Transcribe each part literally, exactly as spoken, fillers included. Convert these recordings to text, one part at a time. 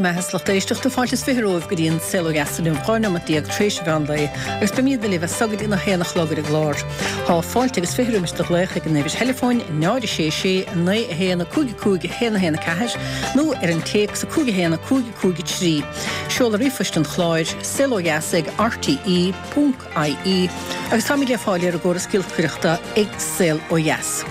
Bhur mbeatha 's lucht éisteachta fáilte is fiche romhaibh go dtí an Saol Ó Dheas inniu dhá neomat déag tar éis an mheán lae agus beimid libh as so go dtí a haon a chlog ar an gclár. Tá fáilte agus fiche roimis do ghlaoch ag an uimhir theileafóin náid a sé sé naoi a haon a cúig a cúig a haon a haon a ceathair nó ar an téacs a cúig a haon a cúig a cúig a trí. Seoladh ríomhphoist an chláir saol ó dheas ag rte ponc ie agus táimid le fáil ar an gcóras giolcaireachta ag Saol Ó Dheas.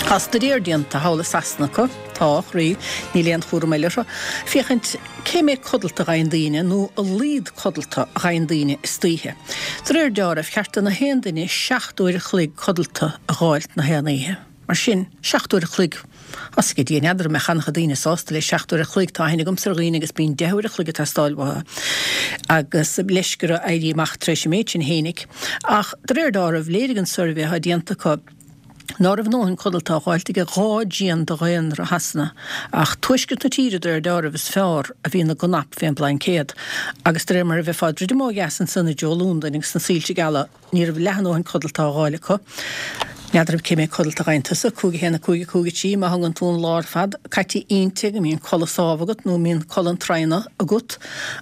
Tá staidéar déanta thall i Sasana acu, tá, a chroí, níl aon chúram eile orthu, féachaint cé méid codlata a ghaibheann daoine nó a laghad codlata a ghaibheann daoine istoíche. De réir deáraimh, cheart do na haon duine seacht uair a chloig codlata a dh'fháilt na haon oíche. Mar sin, seacht uair a chloig. Tá's ag Dia, n'fheadar an mbeadh an-chuid daoine sásta le seacht uair a chloig, tá aithne agamsa ar dhaoine agus bíonn deich uair a chloig ag teastáil uathu agus leisce orthu éirí amach tar éis an méid sin fhéinig. Ach de réir deáraimh, léirigh an suirbhé atá déanta acu ná raibh a ndóthain codlata á dh'fháilt ag dhá dtrian de dhaonra Shasana, ach tuaisceart na tíre de réir deáraimh is fearr a bhí ina gcnap fén bplaincéad. Agus de réir mar a bheifeá ag druidim ó dheas ansan i dtreo Londain agus na soilse geala, Ní raibh leath a ndóthain codlata á dh'fháil acu. N'fheadar cé méid codlata a ghaibheann tusa, cúig a haon a cúig a cúig a trí, má thógann tú an lá ar fad caite inti go mbíonn codladh sámh agat nó mbíonn codladh an traona agat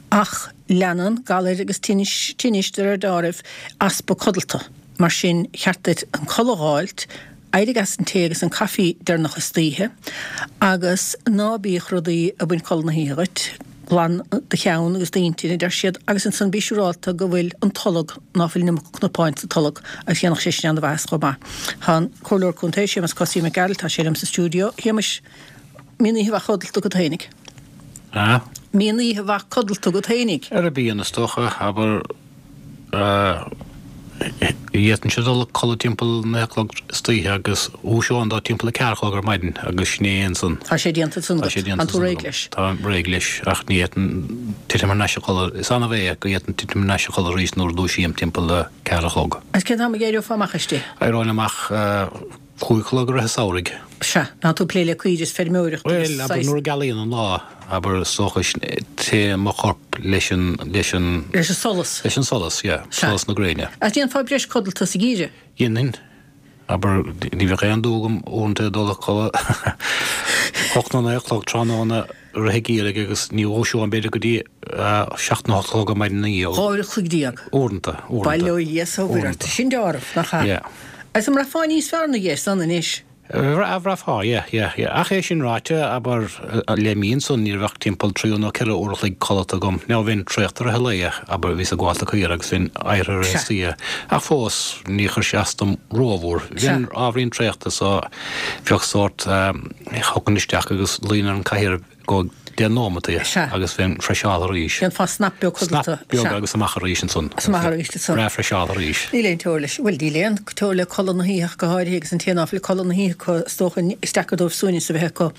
ach leanann galair agus tinnis, tinnis de réir deáraimh, easpa codlata. Mar sin, cheart duit an codladh a dh'fháilt, éirigh as an tae agus an caife deireanach istoíche agus ná bíodh rudaí ag baint codladh na hoíche dhuit. Glan do cheann agus d'intinn, a deir siad, agus ansan bí siúrálta go bhfuil an tolg, ná fuil an iomarca cnapáin sa tolg, agus dhéanfadh sé sin ana-mhaitheas chomh maith. Tá an Comhairleoir Contae, Séamus Cosaí Mac Gearailt, tá sé liom sa stiúideo. A Shéamais, mbíonn oíche mhaith codlata agat fhéinig? A? Mbíonn oíche mhaith codlata agat fhéinig? Ara bíonn, is dócha, abair. D'fhéadfainnse dul a codladh timpeall naoi a chlog istoíche agus dhúiseoinn dó timpeall a ceathair a chlog ar maidin agus sin é ansan. Tá sé déanta ansan Tá sé agat. déanta Tá tú ansan réidh agam. leis. Táim réidh leis ach ní fhéadfainn titim thar n-ais a chodladh. Is annamh é go bhféadfainn titim thar n-ais a chodladh arís nuair a dhúisím timpeall a ceathair a chlog. Agus cén t-am a d'éireofá amach aisti? Éireoinn amach cúig a chlog i rith an samhraidh. Sea, ná tú ag plé le caoirigh is feirmeoireacht agus Bhuel, abair saghas. nuair a gealaíonn an lá, abair is dócha téann mo chorp leis an, leis an. Leis an solas. Leis an solas, yeah, Sea. solas na gréine. Ach déanfá breis codlata sa gheimhreadh? Dhéanfainn. Abair, ní bheadh aon dua agam uaireanta dul a chodladh hocht nó naoi a chlog tráthnóna i rith an gheimhridh agus ní dhúiseoinn b'fhéidir go dtí seacht nó hocht a chlog ar maidin ina dhiaidh. Dhá uair a chloig déag. Uaireanta, uaireanta. Bail ó Dhia is ó Mhuire ort. Uaireanta. Sin deáramh, nach ea? Yeah. Agus an mbraithfeá níos fearr ina dhiaidh san anois? Bhraithfeá, yeah, yeah, yeah. Ach é sin ráite, abair, le mí ansan ní raibh ach timpeall trí nó ceithre uair a chloig codlata agam. Now bheinn traochta i rith an lae, abair, bhíos ag gabháil do caora agus bheinn éirithe i rith Sea. an oíche. Ach fós, ní chuir sé as dom rómhór. Sea. Bheinn ábhairín traochta so bheadh sórt, thiocfainn isteach agus luínn ar an cathaoir go deich nóimeataí Sea. agus bheinn freiseáltha arís. Dhéanfá snap beag codlata. Snap beag Sea. agus amach arís ansan. Is amach arís ansan. Breá freiseáltha arís. Níl aon teora leis. Bhuel, níl aon teora le codladh na hoíche ach go háirithe agus an té ná fuil codladh na hoíche acu, is dócha, is deacair dóibh suaimhneas a bheith acu.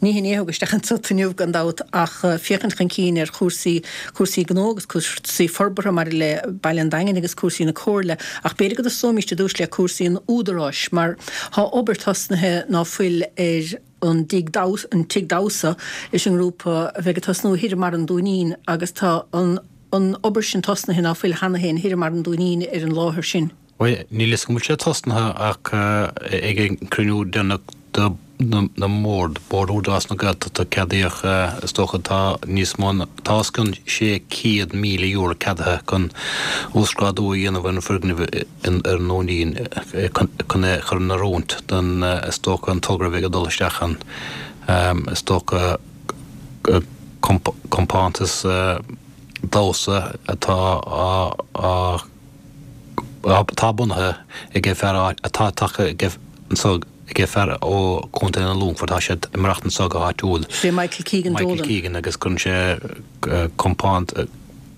Ní hin é a thug isteach anso tú inniu gan dabht ach féachaint chun cinn ar chúrsaí, cúrsaí gnó agus cúrsaí forbartha maidir le Baile an Daingin agus cúrsaí na Comhairle. Ach b'fhéidir go dtosóimíst i dtús le cúrsaí an Údaráis mar tá obair tosnaithe ná fuil ar an dtigh damhsa, an tigh damhsa leis an ngrúpa a bheidh ag tosnú thoir i mBarra an Dúinín agus tá an an obair sin tosnaithe ná fuil cheana féin thoir i mBarra an Dúinín ar an láthair sin. Bhuel, níl fhios agam an bhfuil sé tosnaithe ach ag an cruinniú deireanach de na mbord, Bord Údarás na Gaeltachta, ceadaíodh, is dócha, tá níos mó ná, tá os cionn sé céad míle euro ceadaithe chun uasghrádú a dhéanamh ar an bhfoirgneamh ar an nDúinín chun é a chur in oiriúint don, is dócha, an togra a bheidh ag dul isteach ann, is dócha, compántas damhsa atá á, atá bunaithe ag fear atá tagtha anso ag fear ó Chontae an Longfoirt, tá sé ag maireachtaint anso go háitiúil. Sé Michael Keegan Michael Dolan. Keegan agus cuireann sé compánt,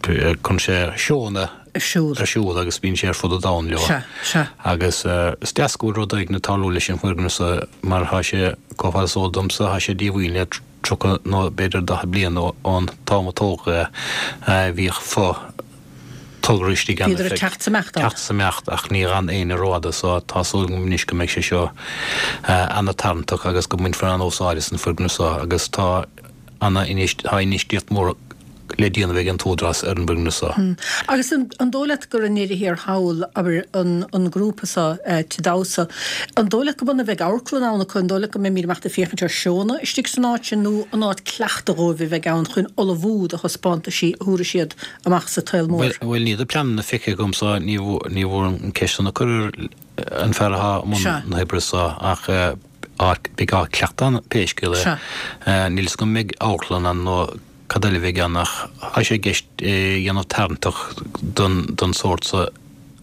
cuireann sé seónna ar siúl. ar siúl agus bíonn sé ar fud an domhain leo. Sea, sea. Agus is deas go bhfuil rud éigin ag tarlú leis an bhfoirgneamh so mar tá sé, chomh fada is eol domsa, tá sé díomhaoin le tríocha nó b'fhéidir daichead bliain ón t-am a tógadh é. Bhíodh fo. tograí istigh ann Bhíodar ag teacht 's imeacht ann. teacht 's imeacht ach ní dh'fhan éinne rófhada so tá súil agam anois go mbeidh sé seo ana-tarraingteach agus go mbainfear an-úsáid as an foirgneamh so agus tá ana tá infheistíocht mhór le déanamh ag an t-údarás ar an bhfoirgneamh so. Agus an dóigh leat gur i ndeireadh thiar thall, abair, an grúpa so, Tigh Damhsa, an dóigh leat go mb'ionann a bheidh amharclann ann acu, an dóigh leat go mbeimid amach ag féachaint ar seónna istigh san áit sin nó an áit cleachtaidh dhóibh a bheidh ann chun ullmhú do thaispeántaisí a thabharfaidh siad amach sa tsaol mór? Bhuel, níl na pleananna feicthe agam so ní bhfuair an ceist san a cuireadh ar an fear atá i mbun na hoibre so ach beidh áit cleachtaidh ann pé scéal é. Níl fhios agam an mbeidh amharclann ann nó cad eile a bheidh ann ach tá sé i gceist é a dhéanamh tarraingteach don sórt so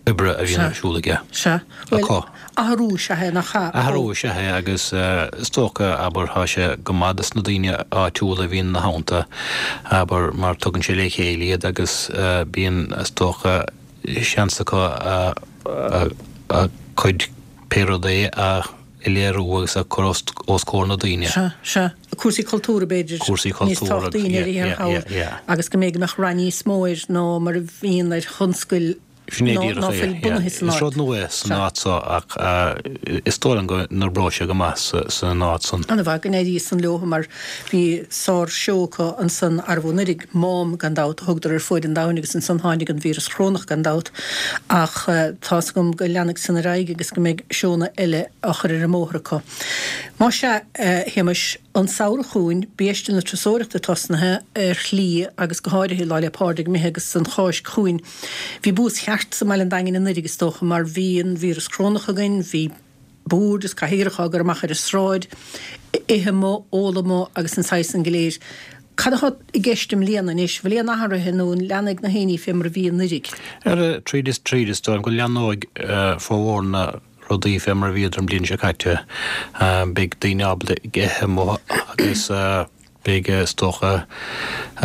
oibre a bhíonn ar siúl aige. Sea. Bhuel, athrú is ea é, nach ea? Athrú is ea é agus is dócha, abair, tá sé go maith dos na daoine áitiúla a bhíonn ina theannta, abair, mar tugann sé le chéile iad agus bíonn, is dócha, seans acu a gcuid, pé rud é, a léiriú agus a chur os comhair na daoine. Sea, sea. Cúrsaí cultúrtha, b'fhéidir, níos tábhachtaí i ndeireadh thiar thall agus go mbeidh, go mbeadh rath níos mó air ná mar a bhíonn ar thionscail Sin é díreach é. Is rud nua é san áit so ach is dóigh liom go n-oibreoidh sé go maith san áit san. An-mhaith go n-éirí san leo mar bhí sár seó acu ansan arbh anuraidh, Mám gan dabht a thugadar ar fuaid an domhain agus ansan tháinig an víreas chorónach gan dabht ach tá's agam go leanfaidh san ar aghaidh agus go mbeidh seónna eile á chur ar an mbóthar acu. Más ea, a Shéamais, an samhradh chugainn, biaiste na turasóireachta tosnaithe ar shlí agus go háirithe Lá 'le Pádraig imithe agus an Cháisc chugainn. Bhí buas cheart sa mbaile an Daingin anuiridh is dócha mar bhí an víreas corónach againn, bhí boird is cathaoireacha á gcur amach ar an sráid, ithe amuigh, ól amuigh agus an saghas san go léir. Cad atá i gceist i mbliana anois? Bhfuil aon athruithe nó an leanfaidh na haoinní fé mar a bhí anuiridh? Ar tríd is tríd is dóigh liom go leanóidh formhór na rudaí fé mar a bhíodar an bhliain seo caite. Beidh daoine ábalta ithe amuigh agus beidh is dócha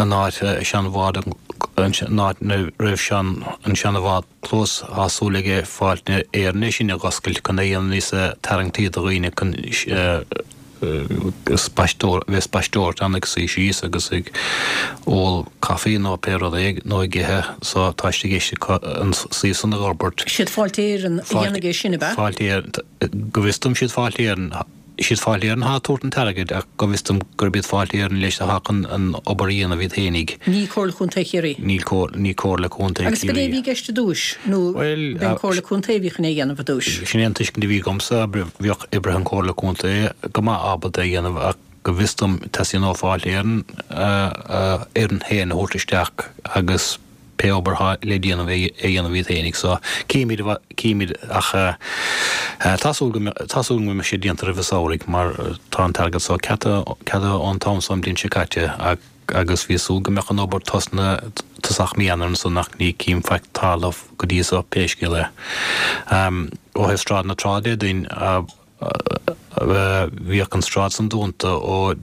an áit seanbhád an áit ina raibh sean an seanbhád clós tá súil ag Fáilte Éireann é sin a dh'oscailt chun é a dhéanamh níos tarraingtí do dhaoine chun spaisteoir bheith spaisteoireacht ann ag suí síos agus ag ól caife nó pé rud é nó ag ithe so tá sé i gceist acu an suíomh san a dh'fhorbairt. Siad Fáilte Éireann a dhéanfaidh é sin, ab ea? Fáilte Éireann, go bhfios dom siad Fáilte Éireann, siad Fáilte Éireann atá ag tabhairt an t-airgid ach go bhfios dom gurb iad Fáilte Éireann leis atá chun an obair a dhéanamh iad fhéinig. Ní Comhairle Contae Chiarraí? Níl ní Comhairle Contae Agus Chiarraí. b'é a bhí i gceist i dtús nó Bhuel, b'é an Comhairle Contae a bhí chun é a dhéanamh i dtús? Sin é an tuiscint a bhí agamsa, bheadh oibrithe an Chomhairle Contae go maith ábalta é a dhéanamh ach go bhfios dom teastaíonn ó Fáilte Éireann a fhoireann féin a thabhairt isteach agus pé obair atá le déanamh é a dhéanamh iad féinig so címid címid ach tá súil go tá súil go mbeidh sé déanta roimh an samhradh mar tá an t-airgead so ceadaithe ceadaithe ón t-am so an bhliain seo caite ach agus bhí súil go mbeadh an obair tosnaithe tosach mí Eanáir ansan ach ní cím faic tarla go dtí so pé scéal é. Ó thaobh Sráid na Trá de dúinn bhíodh an sráid san dúnta ó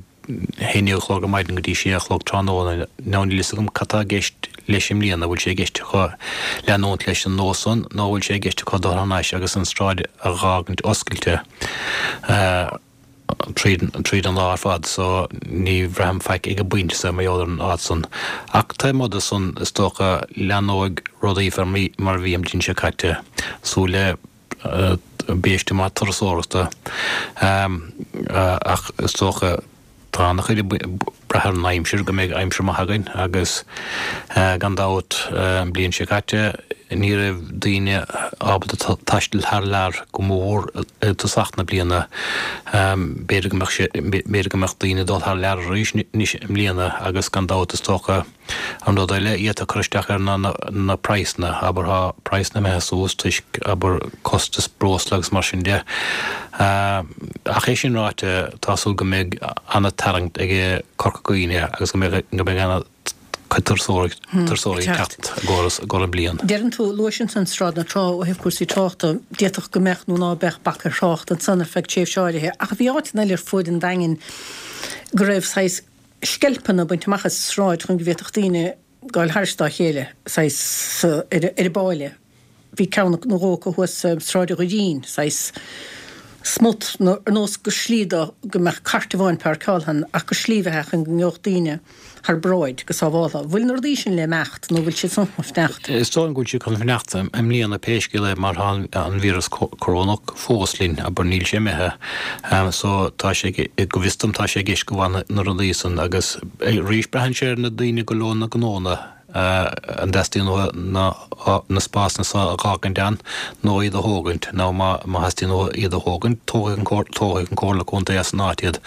haon déag a chlog ar maidin go dtí sé a chlog tráthnóna. Now níl fhios agam cad tá i gceist leis i mbliana, bhfuil sé i gceist acu leanúint leis an nós san nó bhfuil sé i gceist acu dul thar n-ais agus an sráid a dh'fhágaint oscailte tríd tríd an lá ar fad so ní bhraithim faic ag an bpointe so mar gheall ar an áit san. Ach taobh amuigh de san is dócha leanóidh rudaí fé mar a bhí an bhliain seo caite. Súil le biaiste maith turasóireachta ach is dócha tá ana-chuid ag brath ar an aimsir, go mbeidh aimsir maith againn agus gan dabht an bhliain seo caite ní raibh daoine ábalta taisteal thar lear go mór i dtosach na bliana. B'fhéidir go mbeadh sé, b'fhéidir go mbeadh daoine ag dul thar lear arís anois i mbliana agus gan dabht is dócha An rud eile a d'fhéadfadh cur isteach air ná na praghsanna, abair tá praghsanna imithe suas toisc, abair, costas breosla agus mar sin de. Ach é sin ráite, tá súil go mbeidh an-tarraingt ag Corca Dhuibhne agus go mbeidh go mbeidh an-chuid turasóirí turasóirí ag teacht i gcomhair i gcomhair an bliain. Deireann tú, luais ansan Sráid na Trá ó thaobh cúrsaí tráchta, d'fhéadfadh go mbeadh nó ná beadh bac ar thrácht ansan ar feadh tréimhse áirithe, ach bhí áiteanna eile ar fuaid an Daingin go raibh saghas sceilpeanna bainte amach as an sráid chun go bhféadfadh daoine gabháil thairis dá chéile, saghas, ar an bpáile. Bhí ceann nó dhó acu thuas Sráid an Dhoirín, saghas smut nó ar nós gur slí do go mbeadh cairt amháin páirceáilte ann ach gur slí a bheadh ann go ngeobhadh daoine thar bráid go sábháltha. Bhfuil na rudaí sin le imeacht nó bhfuil siad san chun fanacht? Is dóigh liom go bhfuil siad chun fanacht i mbliana pé scéal é mar tá an víreas corónach fós linn, abair níl sé imithe. So tá sé, go bhfios dom tá sé i gceist go bhfanfaidh na rudaí san agus arís braitheann sé ar na daoine go leor na gnónna an dteastaíonn uathu na spásanna seo a dh'fhágaint ann nó iad a thógaint nó má theastaíonn uathu iad a thógaint tógfaidh an Comhairle Contae as an áit iad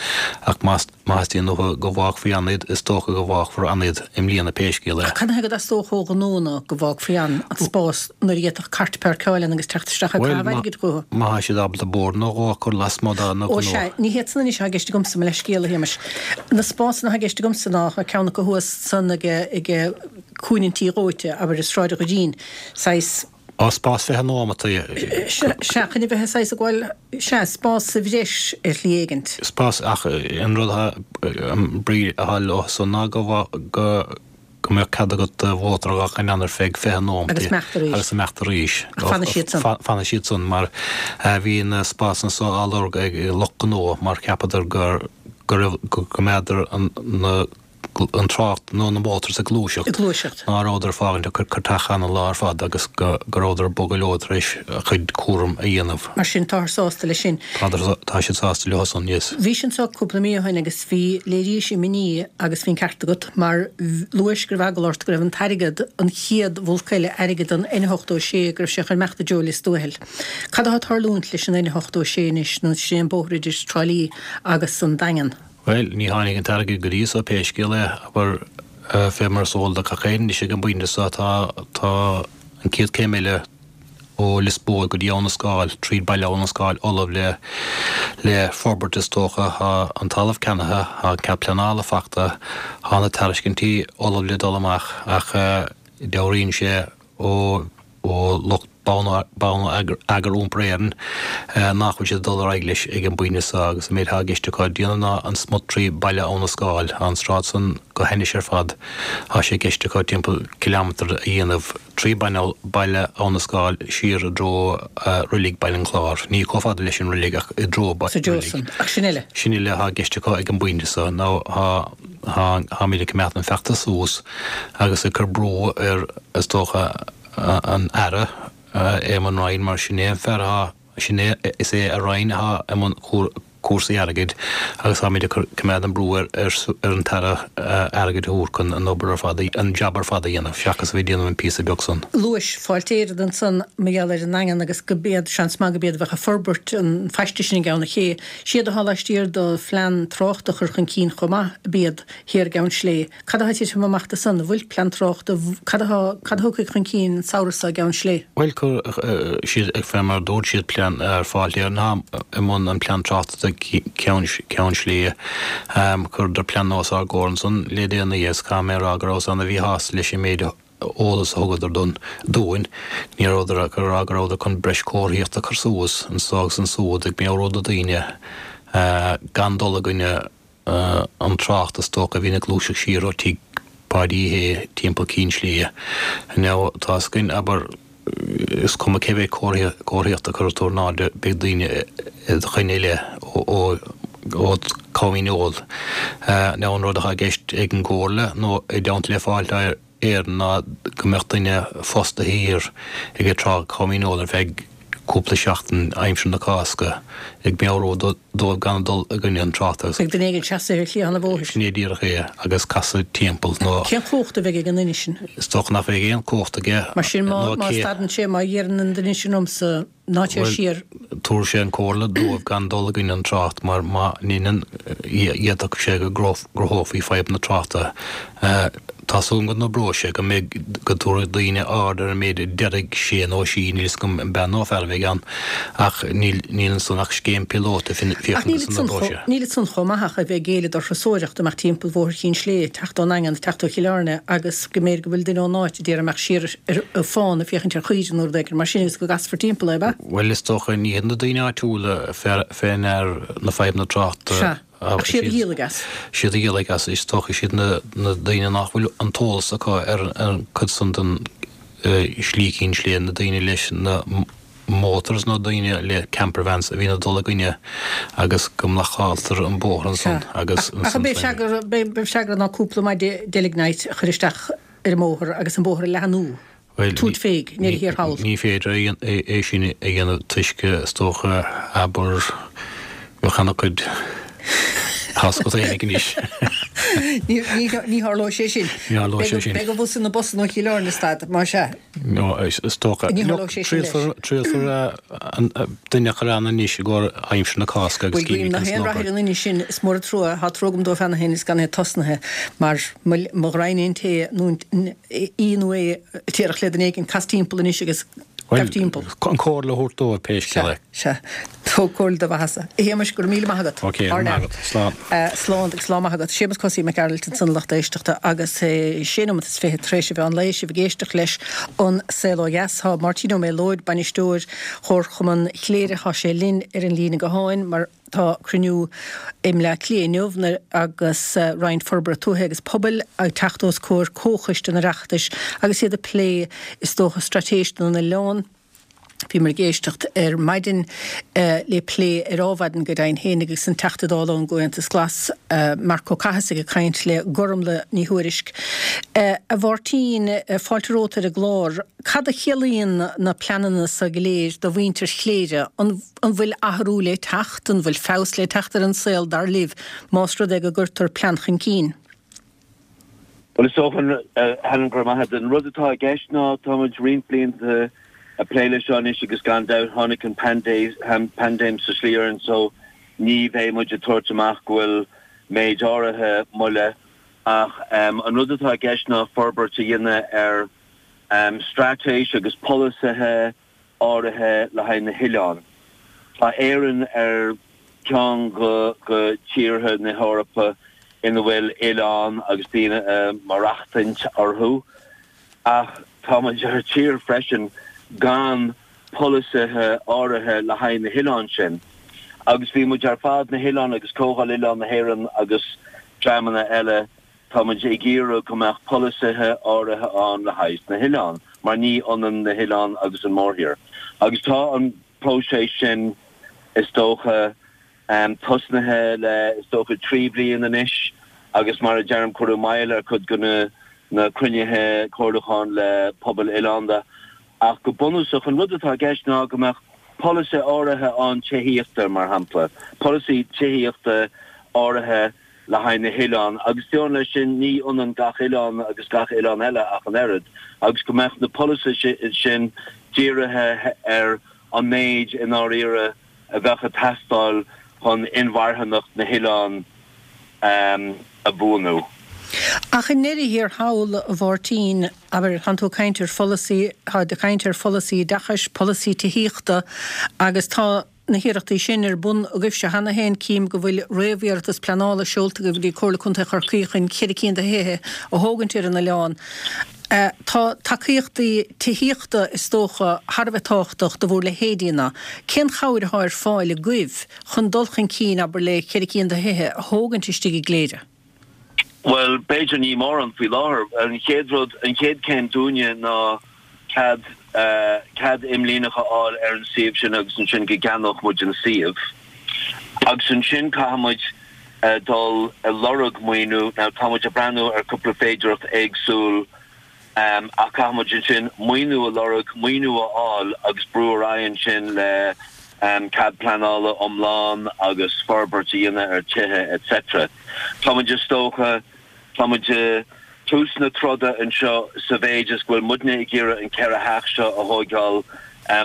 ach má theastaíonn uathu go bhfágfaí ann iad is dócha go bhfágfar ann iad i mbliana pé scéal é. Ach cad ina thaobh go dteastódh ó ghnónna go bhfágfaí ann an spás nuair a d'fhéadfadh cairt páirceáil ann agus teacht isteach ag caitheamh airgid chucu? Má tá siad ábalta bord nó dhó a chur lasmuigh dá ngnó. Ó sea, ní hiad san anois atá i gceist agamsa, mo leithscéal a Shéamais. Na spásanna atá i gceist agamsa ná ceann acu thuas san ag cúinne an tí dhóite, abair i Sráid an Ghoirdín, saghas. Á, spás fiche nóimeat. Sea, chun a bheith saghas ag gabháil, sea, spás sa bhreis ar shlí éigint. Spás, ach an rud atá, an brí atá leo san ná go, go, go mbeadh cead agat do mhótar a dh'fhágaint ann ar feadh fiche nóimeat. Agus imeacht arís. Agus imeacht arís. Ach fanfaidh siad san. Fanfaidh siad san mar bhí na spásanna so á lorg ag lucht gnó mar cheapadar gur, go raibh, go mbeadar na, an trácht nó na motors ag gluaiseacht. Ag gluaiseacht. Ná rabhadar ag fágaint a gcairteacha ann an lá ar fad agus go rabhadar ag bogadh leo tar éis a chuid cúram a dhéanamh. Mar sin, táthar sásta leis sin. Táthar, tá siad sásta leo san, yes. Bhís anseo cúpla mí ó shin agus bhí, léirís imní agus bhí an ceart agat mar luais go raibh eagla ort go raibh an t-airgead, an chéad bhulc eile airgid don N ochtó a sé, go raibh sé chun imeacht i dtreo Lios Tuathail. Cad atá ag tarlúint leis an N ochtó a sé anois, nó sin é an bóthar idir Trá Lí agus an Daingean? Bhuel, ní tháinig an t-airgead go dtí so, pé scéal é, abair, fé mar is eol do gach éinne anois ag an bpointe so, tá, tá an chéad céim eile ó Lios Póil go dtí Abha na Scáil, tríd Baile Abha na Scáil, ullamh le, le forbairt is dócha, tá an talamh ceannaithe, tá an cead pleanála fachta, tá na tairiscintí ullamh le dul amach ach dealraíonn sé ó, ó lucht Bonneagar Iompair Éireann nach bhfuil siad ag dul ar aghaidh leis ag an bpointe seo agus an méid atá i gceist acu a dhéanamh ná an smut trí Baile Abha na Scáil, tá an sráid san go hainnis ar fad, tá sé i gceist acu timpeall cileámetar a dhéanamh trí Baile Abha na Scáil siar i dtreo Reilig Baile an Chláir, ní chomh fada leis an reilig ach i dtreo Sa dtreo san. Ach sin uile. Sin uile atá i gceist acu ag an bpointe seo. Now tá, tá, táimid ag coimeád an feachtas suas agus ag cur brú ar, is dócha, an Aire, Eamon Ryan, mar sin é an fear atá, sin é, is é a Roinn atá i mbun cúrsaí airgid agus táimid ag coimeád an brú ar ar an tAire airgead a thabhairt chun an obair ar fad, an jab ar fad a dhéanamh seachas a bheith ag déanamh an píosa beag san. Luais Fáilte Éireann ansan mar gheall ar an nDaingean agus go b'iad, seans maith go b'iad a bheadh ag forbairt an phaiste sin i gCeann an Ché. Siad atá laistiar do phlean tráchta a chur chun cinn chomh maith, b'iad thiar i gCeann Slé. Cad atá ag titim amach de san? An bhfuil plean tráchta, cad atá, cad a thiocfaidh chun cinn an samhradh seo i gCeann Slé? Bhuel, chuir siad, fé mar a dúirt siad, plean ar Fáilte Éireann atá i mbun an plean tráchta do Cheann, Ceann Slé. Chuireadar plean os ár gcomhair ansan le déanaí agus caithfidh mé a rá go rabhas ana-mhíshásta leis an méid eolas a thugadar don, dúinn. Ní rabhadar ag rá go rabhadar chun breis comharthaíochta a chur suas anso agus ansúd ag meabhrú do daoine gan dul i gcoinne an trácht is dócha a bhíonn ag gluaiseacht siar ó tigh Pháidí Uí Shé timpeall Cinn Sléibhe. Now, tá 'fhios againn, abair, is cuma cé mhéad comharthaíochta a chuirfidh tú in airde, beidh daoine i do choinne uile ó ó Comh Eol. Now, an rud atá i gceist ag an gComhairle nó i dteannta le Fáilte Éireann ná go mbeadh duine fostaithe thiar ag an trá Comh Eol ar feadh cúpla seachtain aimsir na Cásca, ag meabhrú dóibh gan dul i gcoinne an tráchta agus. Beidh duine éigin seasamh ar chliathán an bhóthair. Sin é díreach é, agus casadh timpeall nó. Cén chumhacht a bheidh ag an nduine sin? Is dócha nach mbeidh aon chumhacht aige. Mar sin, má má stadann sé, má dheireann an duine sin liomsa ná téir siar. Bhuel, tabharfaidh sé an comhairle dóibh gan dul i gcoinne an trácht mar má ndeineann, d'fhéadfadh sé go gcruthófaí fadhbanna tráchta. Tá súil agam go n-oibreoidh sé, go mbeidh, go dtabharfaidh daoine aird ar an méid a déarfaidh sé nó sí, níl 'fhios agam an bean nó fear a bheidh ann, ach níl, níl ansan ach scéim píolóta, Ach féachaint níl an ansan oibreoidh chomh, sé. níl ansan chomh maith ach a bheith ag géilleadh do thurasóireacht, imeacht timpeall Bhóthar Chinn Slé, teacht ón nDaingean, teacht ó Chill Airne agus go mb'fhéidir go bhfuil duine ón áit a d'iarraidh imeacht siar ar an fána féachaint ar chaoire nó rud éigin mar sin agus go gcasfar timpeall é, ab ea? Bhuel, is dócha, ní hiad na daoine áitiúla fé, fé ndear na fadhbanna tráchta. Sea. Ach siad a dhíolfaidh as. Siad a dhíolfaidh as. Is dócha siad na daoine nach bhfuil an t-eolas acu ar an cuid san den slí Cinn Sléibhe, na daoine leis na motors nó daoine le campervans a bhíonn ag dul i gcoinne agus go mblocáiltear an bóthar ansan agus Ach an b'é freagra ná cúpla maide delignite a chur isteach ar an mbóthar agus an bóthar a leathnú? Tabhairt féig, i ndeireadh thiar thall. Ní féidir é sin a dhéanamh toisc is dócha abair bheadh ana chuid thásca féinig anois. Ní tharlóidh sé sin. Ní tharlóidh sé sin. Beidh an bus ina bus ó Chill Airne stad, más ea. No, is dócha. Ní tharlóidh sé sin leis. Triailfear duine a chur ann anois i gcomhair aimsir na Cásca agus Bhuel, guím cífimid nach conas aon an rath obair. ar an duine sin, is mór an trua, tá trua agam dóibh cheana féin is gan é tosnaithe, mar mo ghraidhin an té nó í nó é a déarfadh le duine éigin, cas timpeall anois agus gabh timpeall. Bhuel, an comhairle a thabhairt dóibh pé scéal é. Sea, sea. Tóg comhairle do mhaitheasa. A Shéamais, go raibh míle maith agat. Ok, go raibh maith agat. Slán. Slán agus lá maith agat. Séamus Cosaí Mac Gearailt ansan a lucht éisteachta agus sé nóiméad is fiche tar éis a mheán lae, sibh ag éisteacht leis An Saol Ó Dheas. Tá Máirtín Ó Méalóid, bainisteoir Chomharchumann Chléire, tá sé linn ar an líne gutháin mar tá cruinniú i mBleá Cliath inniu agus Roinn Forbartha Tuaithe agus Pobail ag teacht os comhair Comhchoiste an Oireachtais agus iad ag plé, is dócha, straitéis na n-oileán. Bhíomar ag éisteacht ar maidin le plé ar Adhmhaidin go deimhin féin agus an Teachta Dála ón gComhaontas Glas, Marc Ó Cathasaigh ag caint le Gormlaith Ní Thuairisg. A Mháirtín, fáilte romhat ar an gclár. Cad a chiallaíonn na pleananna so go léir do mhuintir Chléire? An bhfuil athrú le teacht? An bhfuil feabhas le teacht ar an saol, dar libh, más rud é go gcuirtear plean chun cinn? Bhuel, is dócha, Helen, go raibh maith agat. An rud atá i gceist ná tá muid roinnt blianta ag plé leis seo anois agus gan dabht tháinig an paindéim sa slí orainn so ní bheidh muid ag tabhairt amach go bhfuil méid áirithe moille ach an rud atá i gceist ná forbairt a dhéanamh ar straitéis agus polasaithe áirithe le haghaidh na hoileán. Tá Éirinn ar cheann de tíortha na hEorpa ina bhfuil oileáin agus daoine ag maireachtaint orthu, ach tá muid ar tír freisin gan polasaithe áirithe le haghaidh na hoileán sin. Agus bhí muid ar fad, na hoileáin agus Comhdháil Oileán na hÉireann agus dreamanna eile, Tá muid ag iarraidh go mbeadh polasaithe áirithe ann le haghaidh na hoileán, mar ní ionann na hoileáin agus an mórthír. Agus tá an próiseas sin, is dócha, tosnaithe le, is dócha, trí bhliain anois agus mar a deirim, cuireadh moill ar chuid de na cruinnithe comhairliúcháin le pobail oileánda. Ach go bunúsach, an rud atá i gceist ná go mbeadh polasaithe áirithe ann tithíochta, mar shampla, polasaí tithíochta áirithe, le haghaidh na hoileán agus fiú leis sin ní ionann gach oileán agus gach oileán eile ach an oiread agus go mbeadh na polasaithe sin dírithe ar an méid i ndáiríre a bheadh ag teastáil chun inmharthanacht na hoileán a bhuanú. Ach i ndeireadh thiar thall, a Mháirtín, abair, tánn tú ag caint ar pholasaí, tá tú ag caint ar pholasaí oideachais, polasaí tithíochta agus tá, na hiarrachtaí sin ar bun agaibhse cheana féin. Cím go bhfuil réamhiarratas pleanála seolta agaibh go dtí Comhairle Contae Chorcaí chun ceithre cinn de thithe a thógaint ar an oileán. Tá tacaíochtaí tithíochta, is dócha, thar a bheith tábhachtach do bhur leithéidí-na. Cén chabhair atá ar fáil agaibh chun dul chun cinn, abair, le ceithre cinn de thithe a thógaint istigh i gCléire? Bhuel, b'fhéidir ní mórán faoi láthair. An chéad rud, an chéad chéim dúinne ná cead, cead imlíneach a fháil ar an suíomh sin agus ansin go gceannódh muid an suíomh. Agus ansin caithfidh muid dul ag lorg maoiniú. Now tá muid ag breathnú ar cúpla féidearthacht éagsúil ach caithfidh muid ansin maoiniú a lorg, maoiniú a fháil agus brú ar aghaidh ansin le cead pleanála iomlán agus forbairt a dhéanamh ar tithe etc. Tá muid is dócha, tá muid i dtús na troda anseo sa mhéid is go bhfuil muidne ag iarraidh an ceithre theach seo a thóigeáil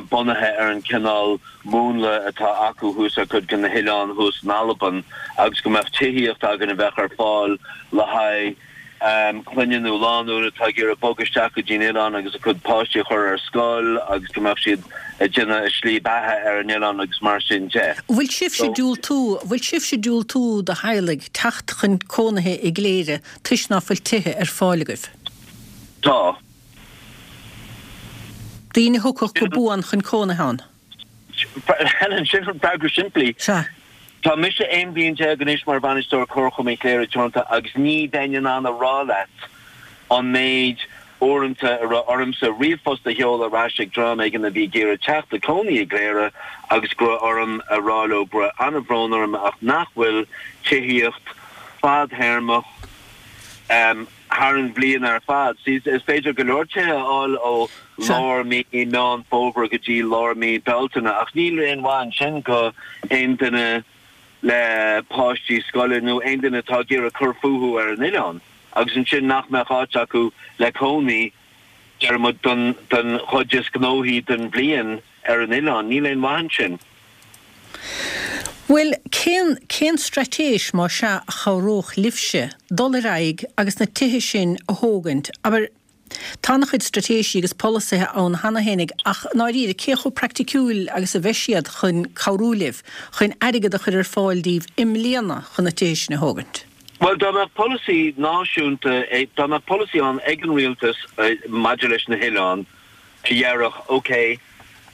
bunaithe ar an cineál múnla atá acu thuas ar cuid de na hoileáin thuas in Albain agus go mbeadh tithíocht againn a bheadh ar fáil le haghaidh clainne nó lánúin atá ag iarraidh bogadh isteach go dtí an oileán agus a gcuid páistí a chur ar scoil agus go mbeadh siad ag déanamh a slí beatha ar an oileán agus mar sin de. An bhfuil sibhse ag diúltú, an bhfuil sibhse ag diúltú do theaghlaigh teacht chun cónaithe i gCléire toisc ná fuil tithe ar fáil agaibh? Tá. Daoine a thiocfadh go buan chun cónaithe ann? Helen, sin an freagra simplí. Sea. Tá mise aon bhliain déag anois mar Bhainisteoir Comharchumann Chléire Teoranta agus ní bheinn in ann a rá leat an méid uaireanta a raibh ormsa ríomhphost a sheoladh ar ais ag dream éigin a bhí ag iarraidh teacht a cónaí i gCléire agus go raibh orm a rá leo go raibh an-bhrón orm ach nach bhfuil tithíocht fadthéarmach thar an bhliain ar fad. See, is féidir go leor tithe a fháil ó lár mí Meán Fómhair go dtí lár mí Bealtaine ach níl aon mhaith ansin go aon duine le páistí scoile nó aon duine atá ag iarraidh cur fúthu ar an oileán. Agus ansin nach mbeadh áit acu le cónaí, deir muid, don don chuid is gnóthaí den bhliain ar an oileán. Níl aon mhaith ansin. Bhuel, cén cén straitéis, más ea, a chabhródh libhse dul ar aghaidh agus na tithe sin a thógaint? Abair, tá an-chuid straitéisí agus polasaithe ann cheana fhéinig ach, i ndáiríre, cé chomh praiticiúil agus a bheidh siad chun cabhrú libh chun airgead a chur ar fáil daoibh i mbliana chun na tithe sin a thógaint? Bhuel, dá mbeadh polasaí náisiúnta, dá mbeadh polasaí ann ag an rialtas maidir leis na hoileáin a dhéarfadh, ok,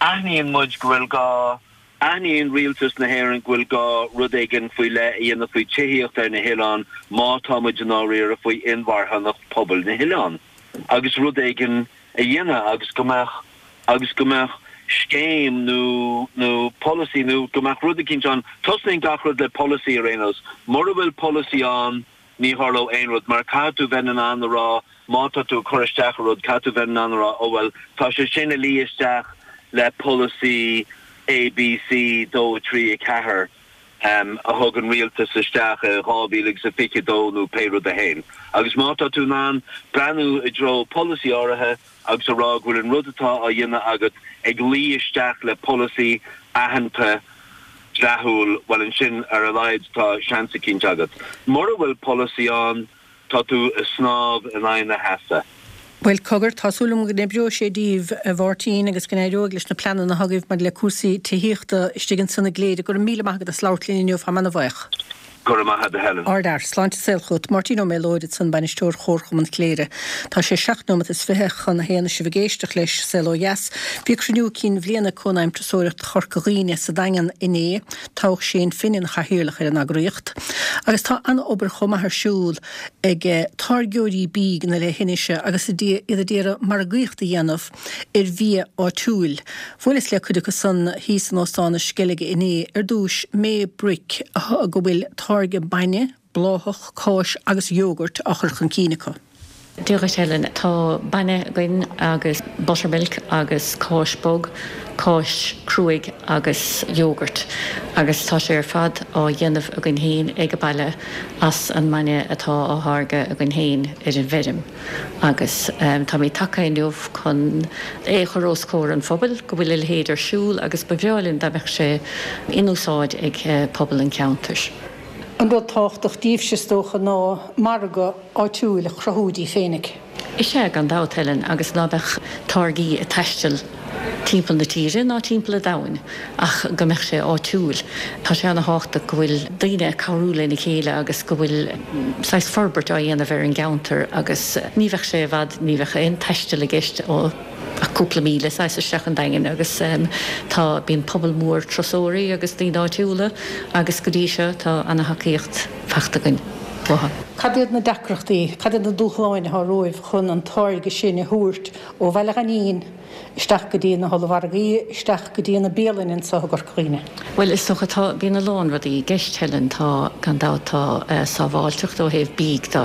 aithníonn muid go bhfuil gá, aithníonn rialtas na hÉireann go bhfuil gá rud éigin faoi leith a dhéanamh faoi tithíocht ar na hoileáin má tá muid i ndáiríre faoi inmharthanacht pobail na hoileán. agus rud éigin a dhéanamh agus go mbeadh agus go mbeadh scéim nó nó polasaí nó go mbeadh rud eicínt ann. Tosnaíonn gach rud le polasaí ar aon nós. Mura bhfuil polasaí ann ní tharlóidh aon rud mar caithfidh tú bheith in ann a rá má tá tú ag cur isteach ar rud caithfidh tú bheith in ann a rá oh bhuel tá sé sin ag luí isteach le polasaí A B C dó a trí a ceathair. a thug an rialtas isteach i dhá mhíle agus a fiche dó nó pé rud é féin. Agus má tá tú in ann breathnú i dtreo polasaí áirithe agus a rá go bhfuil an rud atá á dhéanamh agat ag luí isteach le polasaí aitheanta dleathúil, bhuel ansin ar a laghad tá seans eicínt agat. Mura bhfuil polasaí ann, Tá tú ag snámh in aghaidh na heasa. Bhuel, cogar, tá súil agam go n-oibreoidh sé daoibh, a Mháirtín, agus go n-éireoidh leis na pleananna atá agaibh maidir le cúrsaí tithíochta istigh ansan i gCléire. Go raibh míle maith agat as labhairt linn inniu, táim ana-bhuíoch. Go raibh maith agat, a Helen. Ardfhear. Sláinte is saol chugat. Máirtín Ó Méalóid ansan, Bainisteoir Chomharchumann Chléire. Tá sé seacht nóimeat is fiche chun a haon is sibh ag éisteacht leis Saol Ó Dheas. Bhí cruinniú cinn bhliana Cónaidhm Turasóireachta Chorca Dhuibhne sa Daingean inné. Toghadh Shane Finn ina chathaoirleach ar an eagraíocht. Agus tá an-obair chomh maith ar siúl ag táirgeoirí bídh na leithinise agus iad a d'iarraidh margaíocht a dhéanamh ar bhia áitiúil. Bhuaileas le cuid acu san thíos in Óstán na Sceilge inné. Ar dtúis, May Brick go bhfuil táirgeadh bainne, bláthach, cáis agus iógairt á chur chun cinn acu. Dia dhuit Helen. Tá bainne againn agus buttermilk agus cáis bog, cáis cruaidh agus yogurt agus tá sé ar fad á dhéanamh againn féin ag baile as an mbainne atá á tháirgeadh againn féin ar an bhfeirm agus táimid tagtha inniu chun é a chur os comhair an phobail go bhfuil a leithéid ar siúl agus ba bhreá linn dá mbeadh sé in úsáid ag pobal an cheantair. An rud tábhachtach daoibhse is dócha ná margadh áitiúil a chruthú daoibh féinig. Is ea, gan dabht, Helen, agus ná beadh táirgí ag taisteal timpeall na tíre ná timpeall an domhain ach go mbeadh sé áitiúil. Tá sé ana-thábhachtach go bhfuil daoine ag cabhrú lena chéile agus go bhfuil saghas forbairt á dhéanamh ar an gceantar agus ní bheadh sé i bhfad, ní bheadh aon taisteal i gceist ó ach cúpla míle saghas isteach an Daingean agus tá, bíonn pobal mór turasóirí agus daoine áitiúla agus go dtí seo tá ana-thacaíocht fachta againn uathu. Cad iad na deacrachtaí, cad iad na dúshláin atá romhaibh chun an táirge sin a thabhairt ó Bhaile Ghainín isteach go dtí na hollmhargaí, isteach go dtí na bialanna anseo i gCorca Dhuibhne? Bhuel, is dócha, tá, bíonn a lán rudaí i gceist, Helen. Tá, gan dabht, tá sábháilteacht ó thaobh bídh de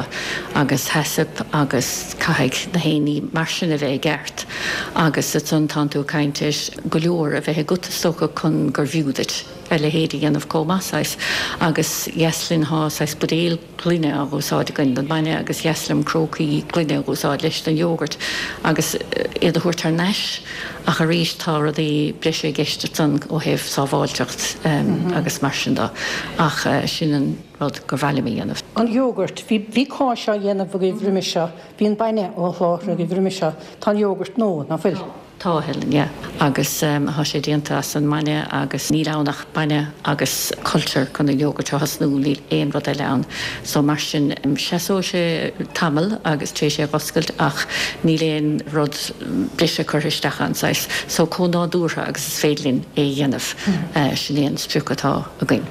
agus HACCP agus caithfidh na haon ní mar sin a bheith i gceart agus ansan tánn tú ag caint ar go leor a bheith agat, is dócha, chun gur bhfiú duit a leithéid a dhéanamh chomh maith, saghas. Agus dheas linn, tá saghas buidéal gloine á úsáid againn don bhainne agus dheas liom crócaí gloine a úsáid leis don yogurt agus iad a thabhairt thar n-ais ach arís tá rudaí breise i gceist ansan ó thaobh sábháilteacht agus mar sin de ach sin an rud gur mhaith liom a dhéanamh. An yogurt, bhí bhí cáis á dhéanamh agaibh roimhe seo, bhí an bainne á sholáthar agaibh roimhe seo, tá an yogurt nua, ná fuil? Tá, a Helen, yeah. Agus tá sé déanta as an mbainne agus níl ann ach bainne agus culture chun an yogurt a thosnú, níl aon rud eile ann. So mar sin, seasóidh sé tamall agus tar éis é a dh'oscailt ach níl aon rud breise curtha isteach ann, saghas. So chomh nádúrtha agus is féidir linn é a dhéanamh, sin é an sprioc atá againn.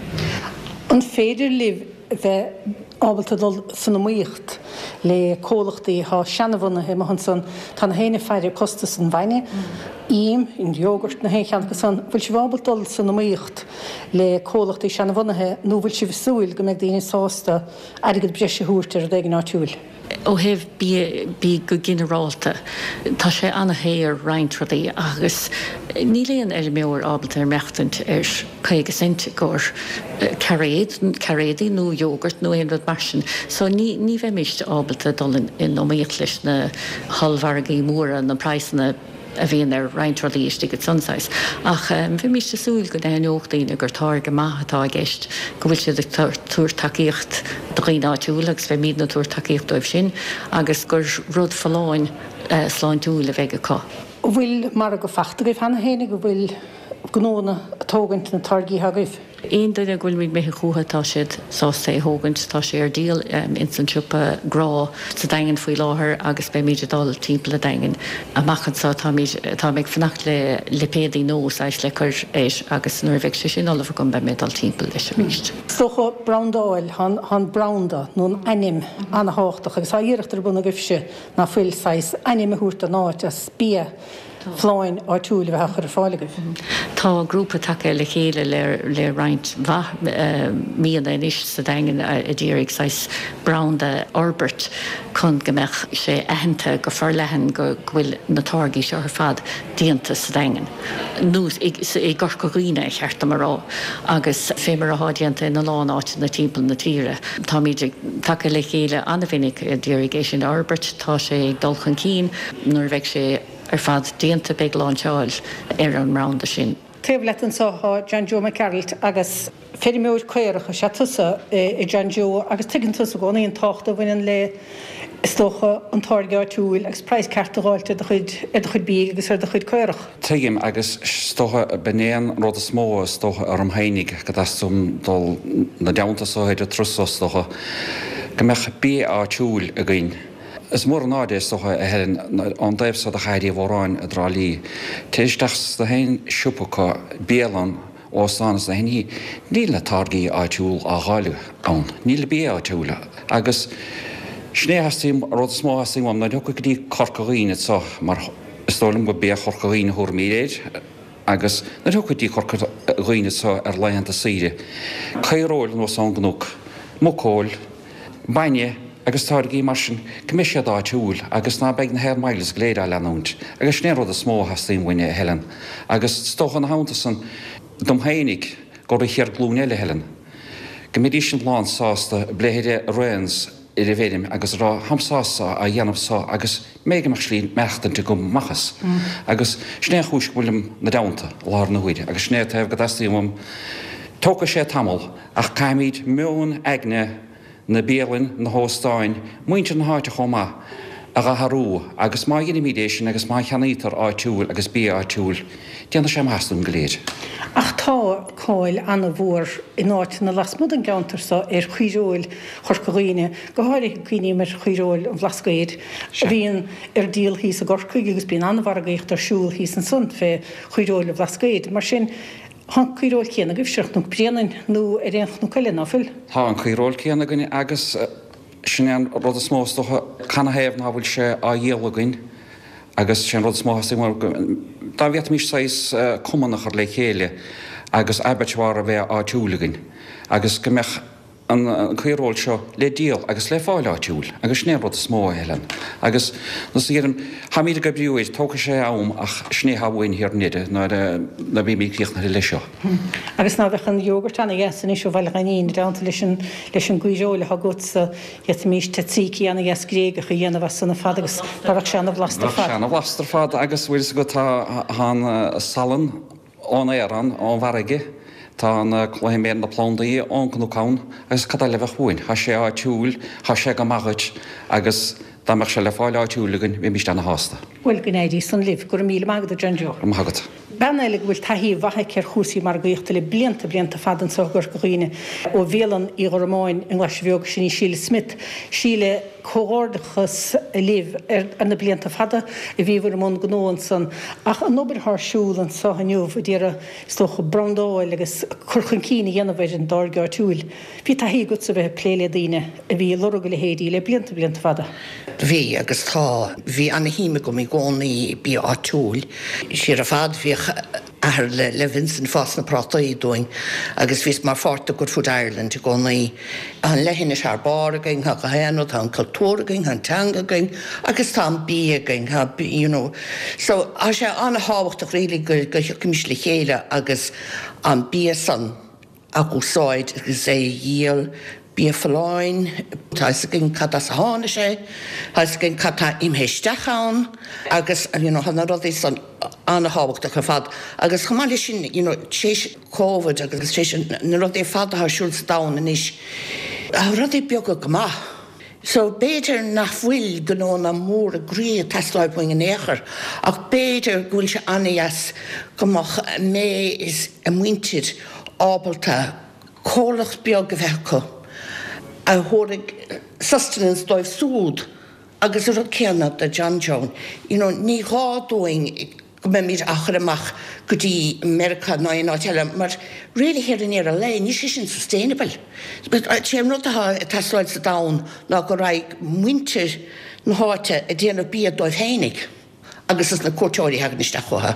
An féidir libh bheith ábalta dul san iomaíocht le comhlachtaí atá seanabhunaithe amuigh ansan? Tá na héinne ag faire costas an bhainne, im, an yogurt, na haon cheann acu san. Bhfuil sibh ábalta dul san iomaíocht le comhlachtaí seanabhunaithe nó bhfuil sibh ag súil go mbeidh daoine sásta airgead breise a thabhairt ar rud éigin áitiúil? Ó thaobh bídh go ginearálta, tá sé ana-shaor roinnt rudaí agus níl aon fheirmeoir ábalta ar maireachtaint ar caoga cent i gcomhair cairéad, cairéadaí nó yogurt nó aon rud mar sin. So ní ní bheimíst ábalta dul in iomaíocht leis na hollmhargaí móra, na praghsanna a bhíonn ar roinnt rudaí istigh ansan saghas. Ach bheimíst ag súil go n-aithneodh daoine gur táirge maith atá i gceist, go bhfuil siad ag tabhairt tacaíocht do dhaoine áitiúla agus beimídne ag tabhairt tacaíocht dóibh sin agus gur rud folláin sláintiúil a bheidh acu. An bhfuil margadh fachta agaibh cheana féin, an bhfuil gnóanna ag tógaint na táirgí atá agaibh? Aon duine go bhfuilimid imithe chucu tá siad sásta é thógaint. Tá sé ar díol ins an siopa Grá sa Daingean faoi láthair agus beimid ag dul timpeall an Daingin amach anseo. Táimid, táim ag fanacht le lipéadaí nua saghas le cur air agus nuair a bheidh sé sin ullamh agam beidh mé ag dul timpeall leis arís. Is dócha brandáil, tá an branda nó an ainm ana-thábhachtach agus tá iarracht ar bun agaibhse ná fuil saghas ainm a thabhairt don áit as bia folláin áitiúil a bheith á chur ar fáil agaibh. Tá grúpa tagtha le chéile le roinnt mhaith míonna anois sa Daingean a d'iarraidh saghas branda a fhorbairt chun go mbeadh sé aitheanta go forleathan go bhfuil na táirgí seo ar fad déanta sa Daingean, nó i gCorca Dhuibhne, a cheart dom a rá, agus fé mar atá déanta ina lán áiteanna timpeall na tíre. Táimid ag tagtha le chéile an-mhinic a d'iarraidh é sin a fhorbairt. Tá sé ag dul chun cinn. Nuair a bheidh sé ar fad déanta beidh láinseáil ar an mbranda sin. Taobh leat anseo tá John Joe Mac Gearailt agus feirmeoir caorach is ea tusa, a John Joe, agus tuigeann tusa i gcónaí an tábhacht a bhaineann le, is dócha, an táirge áitiúil agus praghas ceart a dh'fháilt ar do chuid, ar do chuid bídh agus ar do chuid caorach. Tuigim agus is dócha, b'in é an rud is mó is dócha orm fhéinig go dteastaíonn dul 'na dteannta so ar an turas so is dócha, go mbeadh bia áitiúil againn. Is mór an náire é is dócha, a Helen, ón dtaobh so de Chathair Uí Mhóráin i dTrá Lí. Téir isteach sna haon siopa acu, bialann, óstán is na haon ní, níl na táirgí áitiúil á dháileadh ann. Níl bia áitiúil. Agus sin é a theastaíonn, an rud is mó a theastaíonn uaim, nuair a thiocfaidh go dtí Corca Dhuibhne anso, mar is dóigh liom gur bia Chorca Dhuibhne a thabharfaimid air, agus nuair a thiocfaidh go dtí Corca Dhuibhne anso ar laethanta saoire, caoireoil anuas ón gcnoc, muiceoil, bainne agus táirgí mar sin, go mbeidh siad áitiúil agus ná beidh na Air Miles go léir á leanúint. Agus sin é an rud is mó a theastaíonn uainn, a Helen. Agus is dócha ina theannta san, dom fhéinig, go raibh chéad glúin eile, Helen, go mbeidís sin lán sásta bléithre Wrens ar an bhfeirm agus a rá, táim sásta á dhéanamh so agus mé go mbeadh slí maireachtaint agam amach as. Agus sin é an chúis go bhfuilim 'na dteannta i láthair na huaire agus sin é an taobh go dteastaíonn uaim. Tógfaidh sé tamall ach caithfimid meon aigne na bialainn, na hóstáin, muintir na háite chomh maith, a dh'athrú agus má dheinimíd é sin agus má cheannaítear áitiúil agus bia áitiúil, déanfaidh sé maitheas dúinn go léir. Ach tá cáil ana-mhór in áiteanna lasmuigh den gceantar so ar chaoireoil Chorca Dhuibhne, go háirithe cuimhním ar chaoireoil an Bhlascaoid a bhíonn ar díol thíos i gCorcaigh agus bíonn an-mhargaíocht ar siúl thíos ansan fé chaoireoil an Bhlascaoid. Mar sin, Tá an caoireoil céanna agaibhse ar Chnoc Bréanainn nó ar aon chnoc eile, ná fuil? Tá an caoireoil céanna againn agus sin é an rud is mó is dócha, canathaobh ná fuil sé á dhíol againn agus sé an rud is mó a theastaíonn uaim, dá bhféadfaimis saghas cumann a chur le chéile agus abattoir a bheith áitiúil againn agus go mbeadh an caoireoil seo le díol agus le fáil áitiúil agus sin é an rud is mó, a Helen. Agus nós a dheirim, táimid ag oibriú air, tógfaidh sé am ach sin é atá uainn thiar i ndeireadh nuair a bheimid críochnaithe leis seo. Agus ná bheadh an yogurt ana-dheas anois ó Bhaile Ghainín i dteannta leis an leis an gcaoireoil atá agatsa, d'fhéadfaimis tzatziki ana-dheas Gréigeach a dhéanamh as san ar fad agus dá bheadh sé ana-bhlasta ar fad. Bheadh sé ana-bhlasta ar fad agus bhfuil fhios agat tá an salann, Ón aer ann, ón bhfarraige. Tá na cluichí na plandaí ón gcnoc ann agus cad eile a bheadh uainn? Tá sé áitiúil, tá sé go maith dhuit agus dá mbeadh sé le fáil áitiúil againn, bheimíst ana-shásta. Bhuel, go n-éirí san libh. Go raibh míle maith agat, a John Joe. Go raibh maith agat. Bean eile go bhfuil taithí mhaith aici ar chúrsaí margaíochta le blianta, blianta fada anseo i gCorca Dhuibhne, ó Bhialann Uí Ghormáin i nGlaise Bheag, sin í Síle Smith. Síle, Comhghairdeachas libh ar na blianta fada a bhíobhair i mbun gnó ansan, ach an obair atá ar siúl anso inniu a d'iarraidh, is dócha, brandáil agus cur chun cinn a dhéanamh ar an dtáirge áitiúil. Bhí taithí agatsa a bheith ag plé le daoine a bhí ag lorg a leithéidí le blianta, blianta fada. Bhí agus tá. Bhí ana-shuim agam i gcónaí i bia áitiúil. Siar ar fad bhíodh athair le le Vincent ag fás na prátaí dúinn agus bhíos mar pháirt de Good Food Ireland i gcónaí. Tá an leithinis thar barr againn, tá gach aon rud, tá an cultúr againn, tá an teanga againn agus tá an bia againn, tá you know. So tá sé an-thábhachtach really go go thiocfaimis le chéile agus an bia san a úsáid agus é a dhíol, bia folláin, tá fhios againn cad as a tháinig sé, tá fhios againn cad tá imithe isteach ann agus you know tá na rudaí san an-thábhachtach ar fad. Agus chomh maith leis sin you know tar éis Covid agus tar éis na rudaí ar fad atá ar siúl sa domhan anois, tá rudaí beaga go maith. So b'fhéidir nach bhfuil gnónna móra groí ag teastáil uainn in aon chor ach b'fhéidir go bhfuil sé an-dheas go mbeadh May is a muintir ábalta comhlacht beag a bheith acu a thabharfaidh sustenance dóibh súd agus an rud céanna do John Joe. You know ní gá dúinn go mbeimid á chur amach go dtí Meiriceá ná aon áit eile mar really thiar i ndeireadh an lae níl sé sin sustainable. Sé an rud atá ag teastáil sa domhan ná go raghaidh muintir na háite ag déanamh bia dóibh féinig agus dos na cuairteoirí a thagann isteach chucu.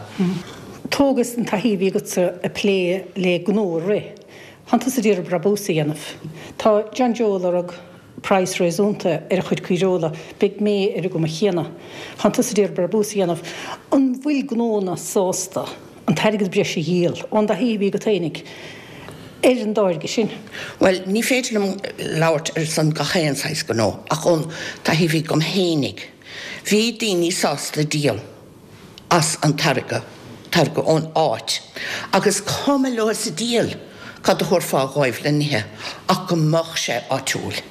Tógas an taithí a bhí agatsa ag plé le gnó a rith. Tánn tusa ag iarraidh brabús a dhéanamh. Tá John Joe ag lorg praghas réasúnta ar a chuid caoireola, beidh May ar an gcuma chéanna. Tánn tusa ag iarraidh brabús a dhéanamh. An bhfuil gnónna sásta an t-airgead breise a dhíol, ón dtaithí a bhí agat fhéinig, ar an dtáirge sin? Bhuel, ní féidir liom labhairt ar son gach aon saghas gnó, ach ón taithí a bhí agam fhéinig, bhí daoine sásta díol. as an táirge, táirge ón áit, agus cuma leo sa diabhal cad a thabharfá dhóibh le n-ithe ach go mbeadh sé áitiúil.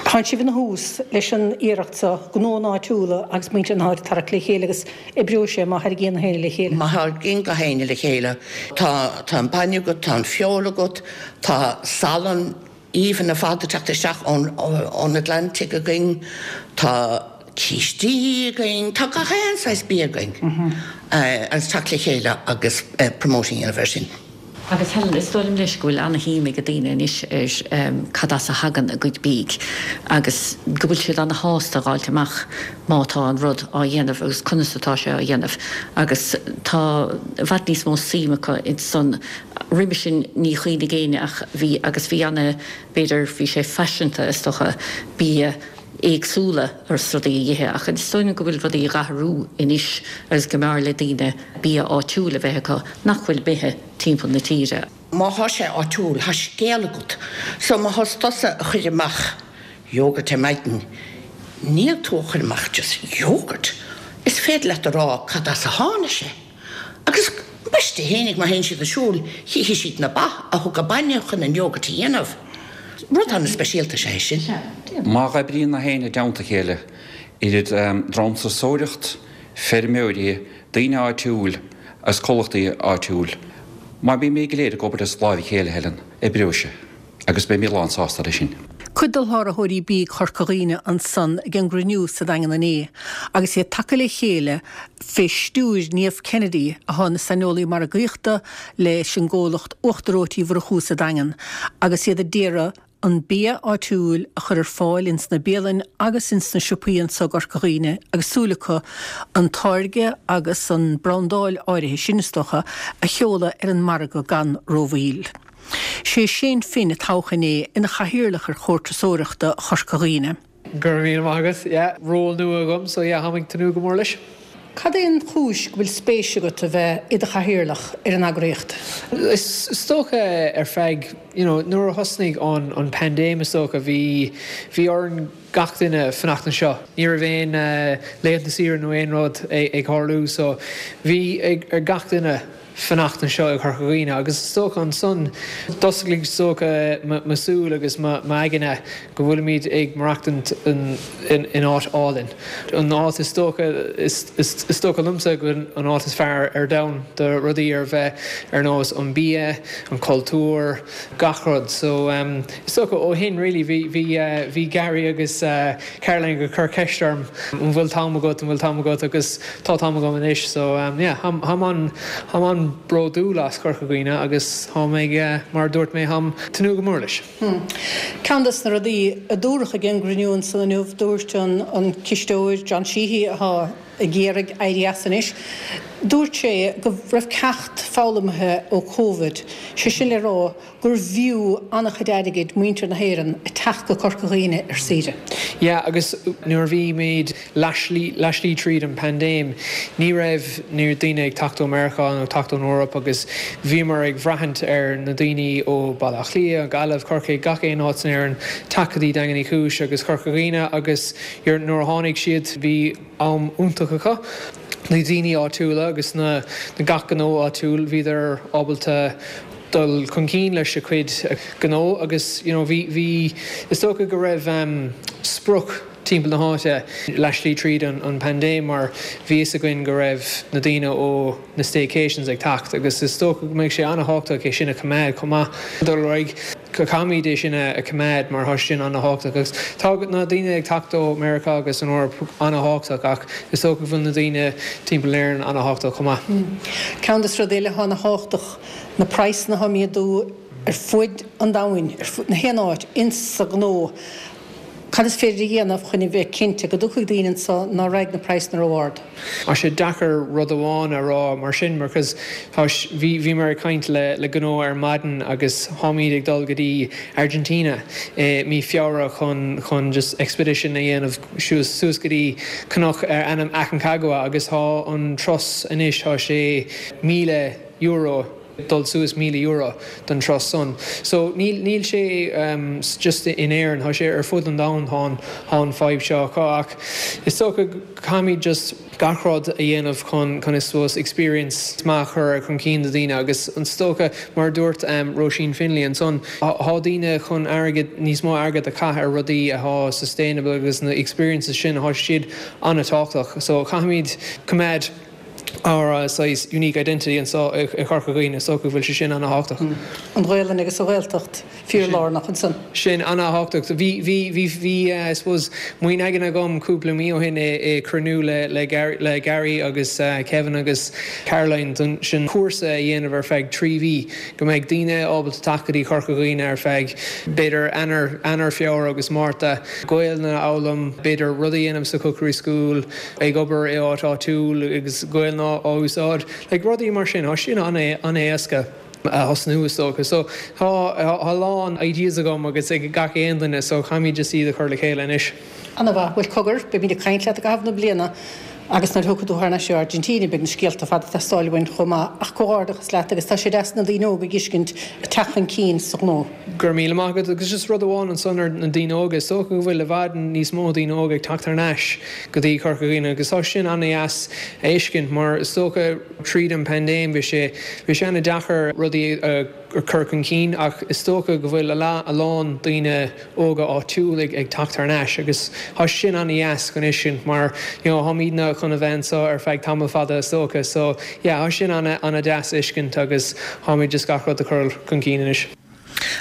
Tánn sibh ina thús leis an iarracht seo, gnónna áitiúla agus muintir na háite a tharrac le chéile agus oibreoidh sé má tháirgíonn gach éinne le chéile. Má tháirgíonn gach éinne le chéile, tá, tá an bainne agat, tá an feoil agat, tá salann aoibhinn ar fad ag teacht isteach ón, ón Atlantic againn, tá cístí againn, tá gach aon saghas bia againn agus teacht le chéile agus promoting a dhéanamh air sin. Agus Helen, is dóigh liom leis go bhfuil ana-shuim ag daoine anois ar cad as a thagann a gcuid bídh agus go bhfuil siad ana-shásta a dh'fháilt amach má tá an rud á dhéanamh agus conas atá sé á dhéanamh agus tá i bhfad níos mó suim acu insan. Roimhe sin ní chuimhnigh éinne ach bhí agus bhí ana, b'fhéidir bhí sé faiseanta is dócha bia éagsúla agus rudaí a ithe ach is dóigh liom go bhfuil rudaí ag athrú anois agus go mb'fhearr le daoine bia áitiúil a bheith acu nach bhfuil imithe timpeall na tíre. Má thá sé áitiúil, thá scéal agat. So má thá tusa a chur amach yogurt ar maidin, níl tú a chur amach just yogurt. Is féidir leat a rá cad as a tháinig sé. Agus ambaiste fhéinig, má théann siad ag siúl, chífidh siad na ba a thug an bainne chun an yogurt a dhéanamh. Rud an-speisialta is ea é sin. Má oibríonn gach éinne i dteannta a chéile, idir dream turasóireacht, feirmeoirí, daoine áitiúil agus comhlachtaí áitiúil, má bhímid go léir ag obair as láimh a chéile, Helen, oibreoidh sé agus beimid lán sásta leis sin. Cuid d'olltáirgeoirí bídh Chorca Dhuibhne ansan ag an gcruinniú sa Daingean inné agus iad tagtha le chéile fé stiúir Niamh Kennedy athá ina saineolaí margaíochta leis an gcomhlacht Uachtar Reoite Uí Mhurchú sa Daingean agus iad a d'iarraidh an bia áitiúil a chur ar fáil ins na bialainn agus ins na siopaí anso i gCorca Dhuibhne agus súil acu an táirge agus an brandáil áirithe sin is dócha a sheoladh ar an margadh gan rómhoill. Sé Shane Finn a toghadh inné ina chathaoirleach ar Chomhar Turasóireachta Chorca Dhuibhne. Go raibh míle maith agat. Yeah, ról nua agam so yeah, táim ag tnúth go mór leis. Cad é an chúis go bhfuil spéis agat a bheith i do chathaoirleach ar an eagraíocht? Is dócha ar feadh, you know, nuair a thosnaigh an an paindéim is dócha bhí bhí orainn gach duine fanacht anseo. Ní raibh aon laethanta saoire nó aon rud ag tarlú so bhí ar gach duine fanacht anseo i Corca Dhuibhne agus is dócha ansan d'osclaigh is dócha mo súil agus m'aigne go bhfuilimid ag maireachtaint in in áit álainn. An áit is dócha is dócha liomsa go bhfuil an áit is fearr ar domhan do rudaí ar bheith ar nós an bia, an cultúr, gach rud. So is dócha ó shin really bhí bhí bhí Gary agus Caroline ag cur ceist orm an bhfuil t-am agat, an bhfuil t-am agat agus tá t-am agam anois so yeah tháim an tháim an-bhródúil as Corca Dhuibhne agus tháim ag mar a dúirt mé tháim tnúth go mór leis. Ceann des na rudaí a dúradh ag an gcruinniú ansan inniu, dúirt an an cisteoir John Sheehy atá ag iarraidh éirí as anois, dúirt sé go raibh ceacht foghlamtha ó Covid, sé sin le rá gur bhfiú an-chuid airgid muintir na hÉireann a teacht go Corca Dhuibhne ar saoire. Yeah agus nuair a bhí muid laistigh tríd an paindéim ní raibh ní raibh daoine ag teacht ó Meiriceá nó teacht ón Eoraip agus bhíomar ag braithint ar na daoine ó Baile Átha Cliath, Gaillimh, Corcaigh, gach aon áit in Éirinn teacht go dtí Daingean Uí Chúis agus Corca Dhuibhne agus nuair a tháinig siad bhí am iontach acu. Na daoine áitiúla agus na gach gnó áitiúil bhíodar ábalta dul chun cinn leis a cuid gnó agus you know bhí bhí is dócha go raibh um, sprioc timpeall na háite laistigh tríd an, an paindéim mar bhí fhios againn go raibh na daoine ó na staycations ag teacht agus is dócha go mbeidh sé an-tábhachtach é sin a choimeád chomh maith dul ar aghaidh go caithfimid é sin a choimeád mar tá sin an-tábhachtach agus tá na daoine ag teacht ó Meiriceá agus an Eoraip an-tábhachtach ach is dócha go bhfuil na daoine timpeall Éireann an-tábhachtach chomh maith. Ceann des rudaí eile atá an-tábhachtach na praghsanna atá ag méadú ar fud an domhain, ar fud na haon áit, insa ghnó. Cad is féidir a dhéanamh chun a bheith cinnte go dtiocfaidh daoine anso ná raghaidh na praghsanna ró-ard? Tá sé deacair rud amháin a rá mar sin mar cos tá bhí bhí mé ag caint le le gnó ar maidin agus táimid ag dul go dtí Argentina i mí Feabhra chun chun just expedition a dhéanamh suas suas go dtí cnoc ar ainm Aconcagua agus tá an turas anois tá sé míle euro dul suas míle euro don turas san. So níl níl sé um, just in Éirinn, tá sé ar fud an domhain tá tá an fadhb seo acu ach is dócha caithfimid just gach rud a dhéanamh chun chun is suppose experience maith a chur chun cinn do daoine agus is dócha mar dúirt um, Roisin Finlay ansan tá daoine chun airgead níos mó airgead a chaitheamh ar rudaí atá sustainable agus na experiences sin tá siad an-tábhachtach. So caithfimid coimeád ár saghas unique identity anseo i Corca Dhuibhne so go bhfuil sé sin an-tábhachtach. An Ghaelainn agus an Ghaeltacht fíorlárnach ansan. Sin an-tábhachtach. Bhí bhí bhí bhí I suppose muin aigen agam cúpla mí ó shin i cruinniú le le Gary, le Gary agus uh, Kevin agus Caroline don sin cúrsa a dhéanamh ar feadh trí mhí go mbeidh daoine ábalta teacht go dtí Corca Dhuibhne ar feadh b'fhéidir Eanáir Eanáir Feabhra agus Márta Gaeilge a fhoghlaim b'fhéidir rud a dhéanamh sa cookery school ag obair i áit áitiúil agus Gaeilge á úsáid like rudaí mar sin tá sin an-éasca a thosnú is dócha. So tá a lán ideas agam agus ag gach aon duine so caithfimid just iad a chur le chéile anois. An-mhaith bhuel cogar beimid ag caint leat i gcaitheamh na bliana agus nuair a thiocfaidh tú thar n-ais ó Argentina beidh na scéalta fada ag teastáil uainn chomh maith ach comhghairdeachas leat agus tá sé deas na daoine óga a fheiscint ag teacht chun cinn sa ghnó. Go raibh míle maith agat agus just rud amháin ansan ar na daoine óga is dócha go bhfuil i bhfad níos mó daoine óga ag teacht thar n-ais go dtí Corca Dhuibhne agus tá sin an-deas a fheiscint mar is dócha tríd an paindéim bhí sé bhí sé an-deacair rudaí a chur chun cinn ach is dócha go bhfuil a lán daoine óga áitiúil ag ag teacht thar n-ais agus tá sin an-deas chun fheiscint mar you know táimidne chun a bheith anseo ar feadh tamall fada is dócha so yeah tá sin an an-deas a fheiscint agus táimid just gach rud a chur chun cinn anois.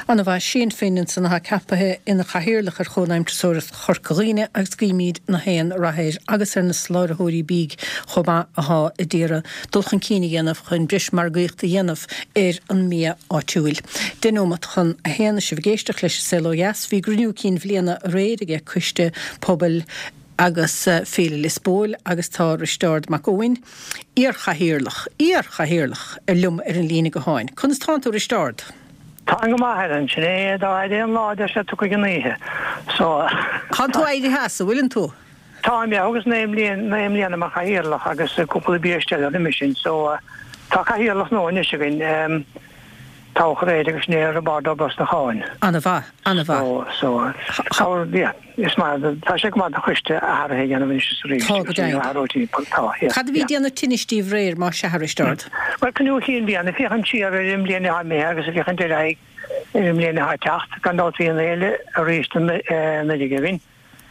An-mhaith Shane Finn ansan atá ceaptha ina chathaoirleach ar Chónaidhm Turasóireachta Chorca Dhuibhne agus guímid na haon rath air agus ar na soláthróirí bídh chomh maith atá ag iarraidh dul chun cinn a dhéanamh chun breis margaíochta a dhéanamh ar an mbia áitiúil. Deich nóiméad chun a haon sibh ag éisteacht leis an Saol Ó Dheas bhí cruinniú cinn bhliana aréir aige Coiste Pobail agus Féile Liospóil agus tá Risteárd Mac Eoin, iarchathaoirleach, iarchathaoirleach ar liom ar an líne gutháin. Conas tánn tú Risteárd? Tá go maith ar an sin é dá aon lá de se tu an oíche. So Tá tú éirithe as an bhfuileann tú? Tá mé agus naoi mbliana mar chathaoirleach agus cúpla biaiste le sin, so tá cathaoirleach nua anois againn. toghadh aréir agus sin é Roibeárd Ó Brosnacháin. Ana-mhaith, ana-mhaith. So, so, yeah, is maith, tá sé go maith don choiste athruithe a dhéanamh anois is arís. Tá, go deimhin. Athrú timpeall, tá, yeah. Cad a bhí ag déanamh tinnis daoibh aréir, más sea, a Risteárd? Bhuel, cruinniú chinn bliana, féachaint siar ar an mbliain atá imithe agus féachaint ar aghaidh ar an mbliain atá ag teacht. Gan dabht bhí an fhéile arís anuraidh againn.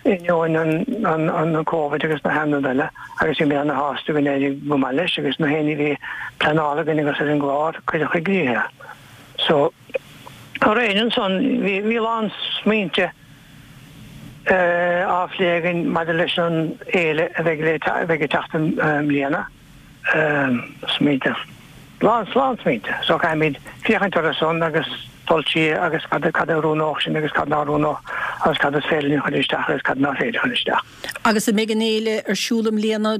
Ainneoin an Covid agus na haon rud eile agus bhí mé ana-shásta go n-éirigh go maith leis agus na haon ní a bhí pleanáilte againn agus ar an gclár cuireadh i gcrích é. So, aréir ansan bhí bhí a lán smaointe á phlé againn maidir leis an fhéile a bheidh le a bheidh ag teacht i mbliana. Smaointe. Lán lán smaointe. So caithfimid féachaint orthu san agus dul siar agus cad cad a oiriúnódh sin agus cad nár oiriúnódh agus cad is féidir linn a chur isteach agus cad nár féidir a chur isteach. Agus an mbeidh an fhéile ar siúl i mbliana,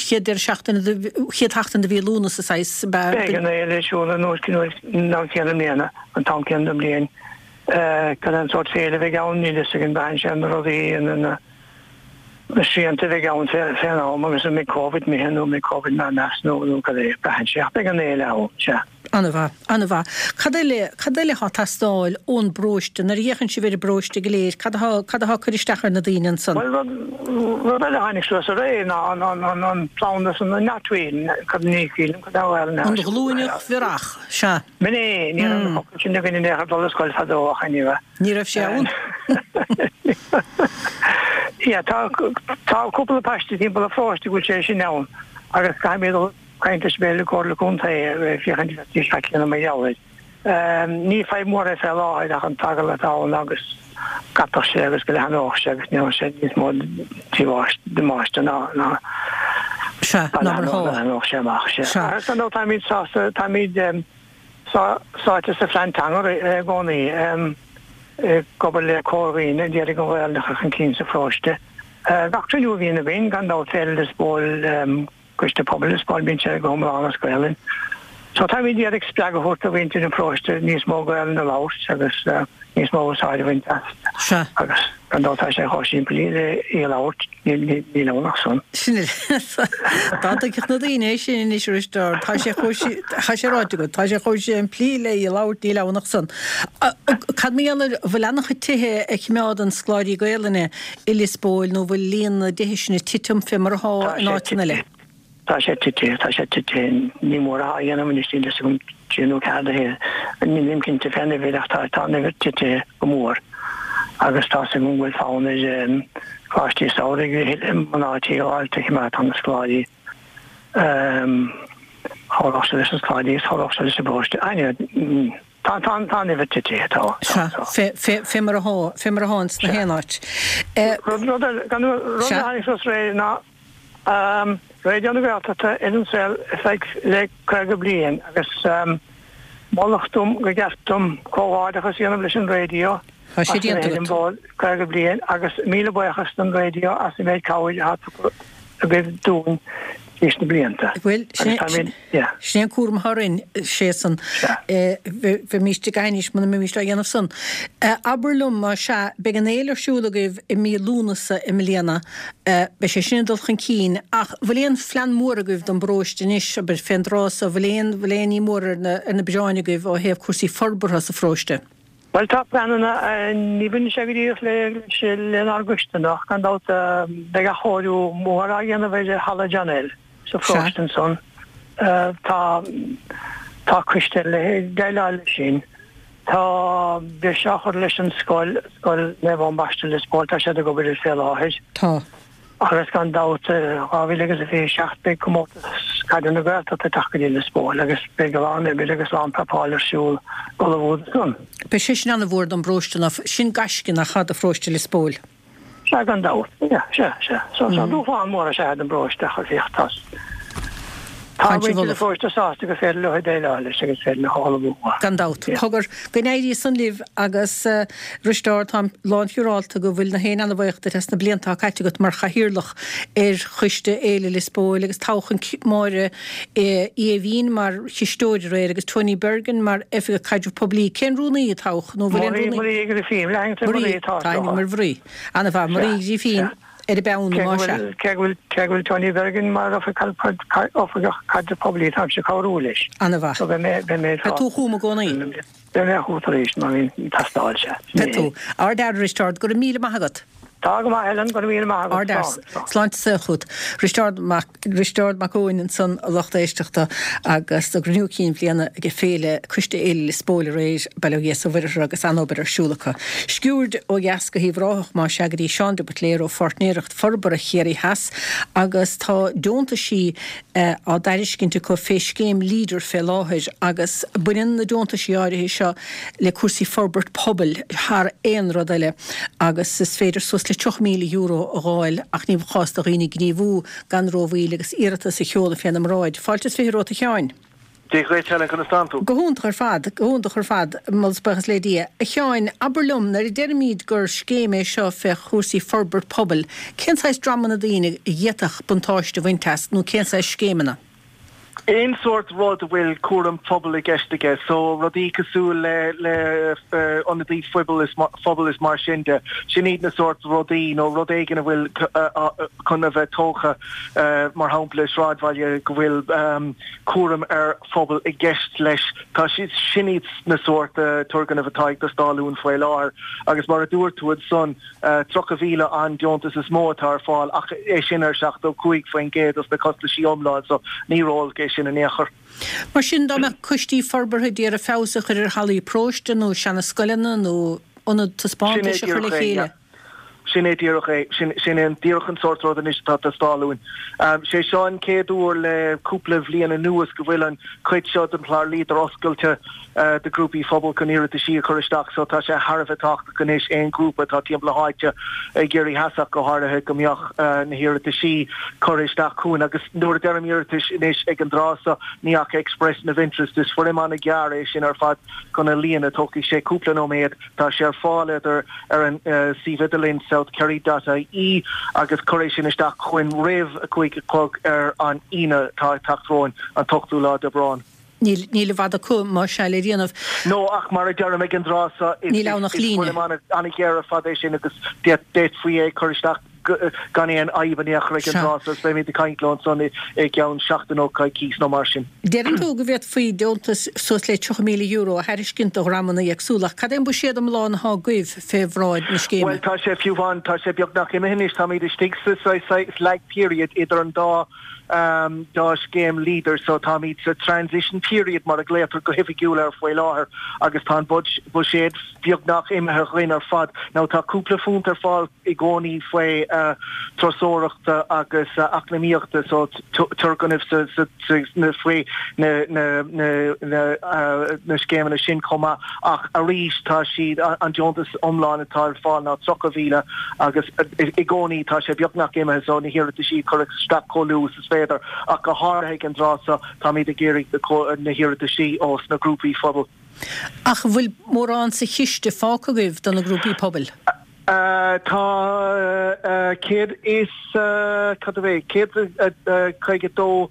chéad deireadh seachtaine de, chéad sheachtain de mhí Lúnasa saghas, ab ea? Beidh an fhéile ar siúl an uair an am céanna i mbliana, an t-am céanna den bhliain. Cad é an sórt féile a bheidh ann, níl a fhios againn, braitheann sé ar na rudaí, na na srianta a bheidh ann fén am agus an mbeidh Covid imithe nó an mbeidh Covid inár measc nó nó cad é, braitheann sé ach beidh an fhéile ann, sea. An-mhaith, an-mhaith. Cad eile, cad eile atá ag teastáil ón bparóiste, nuair a fhéachann sibh ar an bparóiste go léir, cad atá, cad atá ag cur isteach ar na daoine ansan? Bhuel, rud, rud eile a tháinig suas aréir ná an, an, an, an planda san, an knotweed, cad ní shílim cad é an. An ghlúineach bhiorach, sea. B'in é, ní raibh an focal sin againn in aon chor dul ar scoil fadó ach anyway. Ní raibh sé ann. Yeah, tá tá cúpla paiste timpeall an pharóiste go bhfuil sé sin ann agus caithfidh mé dul caint leis b'fhéidir le Comhairle Contae féachaint ar feadh céanna mar gheall air. Ní fadhb mhór é fé láthair ach an t-eagal atá ann agus scaipfeadh sé agus go leathnódh sé agus ní sé níos mó damáiste ná ná Sea, ná mar atá. leathnódh sé amach. Sea. Agus ar ndóigh táimid sásta, táimid sáite sa phlean teanga i gcónaí, ag obair le corrdhuine a d'iarraidh an Ghaelainn a chur chun cinn sa pharóiste. Gach cruinniú a bhíonn againn, gan dabht, Féile Lios Póil, Coiste Pobail Lios Póil, bíonn sé go hiomlán as Gaelainn. So táimid ag iarraidh spreagadh a thabhairt do mhuintir an pharóiste níos mó Gaelainn a labhairt agus níos mó úsáid a bhaint as. Sea. Agus gan dabht tá sé chomh simplí le í a labhairt, níl ann ach san. Sin é. Dá dtuigfeadh na daoine é sin anois a Risteárd, tá sé chomh, tá sé ráite agat, tá sé chomh simplí le í a labhairt, níl ann ach san. Cad mar gheall ar, bhfuil an-chuid tithe a choimeádann scoláirí Gaelainne i Lios Póil nó bhfuil líon na dtithe sin ag titim fé mar atá in áiteanna eile? Tá sé tite, tá sé tite, ní mór atá a dhéanamh anois, níl fhios agam trí nó ceathair de thithe, nílim cinnte fén uimhir ach tá, tá an uimhir tite go mór agus tá 'fhios agam go bhfuil fonn ar choláistí samhraidh mná tí a fháil a choimeádann na scoláirí, chabhródh sé leis na scoláirí agus chabhródh sé leis an bparóiste. Anyway, tá, tá, tá an uimhir tite, tá, tá, Sea, tá. fé, fé, fé mar atá, fé mar atá ins na haon áit. Rud, rud eile, gan, rud a Sea. tháinig suas aréir ná, Raidió na Gaeltachta ar an saol ar feadh le caoga bliain agus moladh dom go gceart dom comhghairdeachas a dhéanamh leis an raidió Tá sé as a déanta bheith ar an agat. bhfód caoga bliain agus míle buíochas don raidió as an méid cabhair atá tugtha agaibh dúinn tríd na blianta. Bhuel, sin Agus táimid, yeah. sin é an cúram atá orainn, sé san. Sea. Bheimíst ag aithris muna mbeimíst á dhéanamh san. Abair liom, más ea, beidh an fhéile ar siúl agaibh i mí Lúnasa i mbliana. Beidh sé sin ag dul chun cinn, ach bhfuil aon phlean mór agaibh don bparóiste anois, abair, fén dtráth so, bhfuil aon, bhfuil aon ní mór ar na, ar na bioráin agaibh ó thaobh cúrsaí forbartha sa pharóiste? Bhuel, tá pleananna, ní bhaineann sé go díreach le, lenár gcoiste ach gan dabht beidh athchóiriú mór á dhéanamh ar Halla John L. sa pharóiste ansan. Tá, tá coiste le déileáil leis sin. Tá breis á chur leis an scoil, Scoil Naomh Eoin Baiste Lios Póil, tá siad ag obair air fé láthair. Tá. Agus gan dabht, dhá mhíle agus a fiche a seacht beidh Comórtas Caide na Gaeltachta ag teacht go dtí Lios Póil agus beidh a lán oibre agus a lán prapáil ar siúl ag ullmhú do san. Beidh sé sin an-mhór don bparóiste ná sin gaisce nach ea do pharóiste Lios Póil. Sea, gan dabht. Yeah, sea, sea. So, so dúshlán mór is ea é don bparóiste ach féach, tá Tá Caint muintir an ullamh. pharóiste sásta gur féidir leo déileáil leis agus féidir leo ullmhú. Gan dabht. Yeah. Cogar, go n-éirí san libh agus a Risteárd, táim lánsiúrálta go bhfuil na héinne ana-bhuíoch díot as na blianta atá caite agat mar chathaoirleach ar Choiste Fhéile Lios Póil agus toghadh Máire Uí Aoibhín mar chisteoir aréir agus Tony Bergin mar Oifigeach Caidreamh Poiblí. Cén rúnaí a toghadh nó bhfuil aon Marie, rúnaí? Marie Grifín, lean Marie Marie, atá tá ainm tofa. ar Mharie. Ana-mhaith, Marie Sea, Grifín. sea. Ar an bpeann, más ea. Cé go bhfuil cé go bhfuil Tony Bergin mar Oifigeach Caidrimh Poiblí táimse ag cabhrú leis. An-mhaith. So beidh mé beidh mé Beidh tú chugam i gcónaí. Beidh mé chugat arís má bhíonn ag teastáil, sea. Beidh tú. Ardfhear, a Risteárd, go raibh míle maith agat. Tá go maith, Helen, go raibh míle maith agat. Ardfhear. Sláinte is saol chugat. Risteárd Mac Risteárd Mac Eoin ansan, a lucht éisteachta, agus a gcruinniú cinn bhliana ag Féile Coiste Fhéile Lios Póil aréir, Baile Ó Gheasa Mhuirthear agus an-obair ar siúl acu. Sciuird ó dheas go hUíbh Ráthach más ea go dtí Seán de Buitléir ó Pháirtnéireacht Forbartha Chiarraí Theas agus tá deontaisí á dtairiscint acu fé scéim Leader fé láthair agus baineann na deontaisí áirithe seo le cúrsaí forbairt pobail thar aon rud eile agus is féidir suas le tríocha míle euro a dh'fháil ach ní chás do dhaoine gníomhú gan rómhoill agus iarratas a sheoladh féna mbráid. Fáilte is fiche romhat a Sheáin. Dia dhuit Helen, conas tánn tú? Go hiontach ar fad, go hiontach ar fad, moladh is buíochas le Dia. A Sheáin, abair liom, nuair a deirimid gur scéim é seo fé chúrsaí forbairt pobail, cén saghas dreamanna daoine a d'fhéadfadh buntáiste a bhaint as nó cén saghas scéimeanna? Aon sórt rud a bhfuil cúram pobail i gceist aige, so rudaí cosúil le le ionadaí phobail is phobail is mar sin de, sin iad na sórt rudaí, nó rud éigin a bhfuil chun a bheith tógtha, mar shampla i sráidbhaile go bhfuil cúram ar phobal i gceist leis. Tá siad, sin iad na sórt turgnaimh atá ag teastáil uainn faoi láthair agus mar a dúirt tú ansan, tríocha mhíle an deontas is mó atá ar fáil ach é sin ar seachtó cúig faoin gcéad dos na costaisí iomlán so ní ró-olc é sin in aon chor. Mar sin, dá mbeadh coistí forbartha ag iarraidh feabhas a chur ar hallaí paróiste nó seana-scoileanna nó ionad Sin é taispeántais a chur le díreach é, chéile. yeah. Sin é díreach é. Sin, sin é an díreach an sórt rud anois atá ag teastáil uainn. Sé seo an chéad uair le cúpla bhliain anuas go bhfuil an chuid seo den chlár Leader oscailte do ghrúpaí phobail chun iarrataisí a chur isteach so tá sé thar a bheith tábhachtach anois aon ghrúpa atá timpeall na háite i gCiarraí Theas ach go háirithe go mbeadh na hiarrataisí curtha isteach chugainn agus nuair a deirim iarratais anois ag an dtráth seo ní ach expression of interest is foirm an-ghearr é sin ar fad chun a líonadh tógfaidh sé cúpla nóiméad tá sé ar fáil idir ar an suíomh idirlín southkerry dot ie agus cuir é sin isteach chugainn roimh a cúig a chlog ar an Aoine atá ag teacht romhainn an t-ochtú lá d'Aibreán. Níl, níl i bhfad acu más ea le déanamh. No, ach mar a deirim ag an dtráth seo, is, Níl ann ach is líne. foirm an-ghearr ar fad é sin agus d'fhéadfaí é a chur isteach gan aon fhadhb in aon chor ag an Sea. dtráth seo agus beimid ag caint leo ansan i, i gceann seachtain nó coicís nó mar sin. Deireann tú go bhféadfaí deontas suas le tríocha míle euro a thairiscint do dhreamanna éagsúla, ach cad é an buiséad iomlán atá agaibh fé bhráid na scéime? Bhuel, tá sé fiú amháin, tá sé beagnach imithe anois, táimid istigh sa saghas lag period idir an dá dá scéim Leader so táimid sa transition period mar a ghlaotar go hoifigiúil air faoi láthair agus tá an buiséad beagnach imithe againn ar fad. Now tá cúpla phunt ar fáil i gcónaí faoi turasóireachta agus eacnamaíochta so turgnaimh faoi na na scéimeanna sin chomh maith ach arís tá siad an deontas iomlán atá ar fáil ná tríocha mhíle agus i gcónaí tá sé beagnach imithe so na hiarrataisí a chur isteach chomh luath is is féidir, ach go háirithe ag an dtráth seo, táimid ag iarraidh na hiarrataisí ós na grúpaí phobail. Ach an bhfuil mórán sa chiste fágtha agaibh do na grúpaí pobail? Tá céad is, cad é, céad caoga dó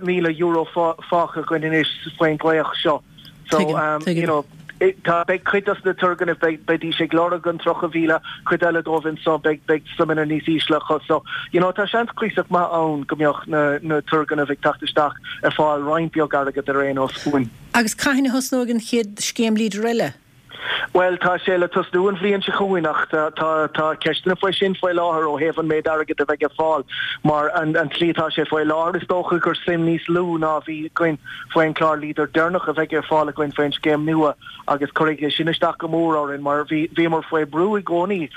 míle euro fágtha againn anois faoin ghlaoch seo. So, you know, tá, beidh cuid dos na turgnaimh, beidh, beidís ag lorg an tríocha mhíle, cuid eile dóibh anso, beidh, beidh suimeanna níos ísle acu. So, you know, tá seans cuíosach maith ann go mbeadh na, na turgnaimh ag teacht isteach ag fáil roinnt beag airgead ar aon nós uainn. Agus cathain a thosnóidh an chéad scéim Leader eile? Bhuel, tá sé le tosnú an bhliain seo chugainn ach tá tá ceisteanna faoi sin faoi láthair ó thaobh an méid airgid a bheidh ar fáil mar an an tslí atá sé faoi láthair is dócha gur suim níos lú ná a bhí againn faoin chlár Leader deireanach a bheidh ar fáil againn faoin scéim nua agus cuirfidh sé sin isteach go mór orainn mar bhí bhíomar faoi brú i gcónaí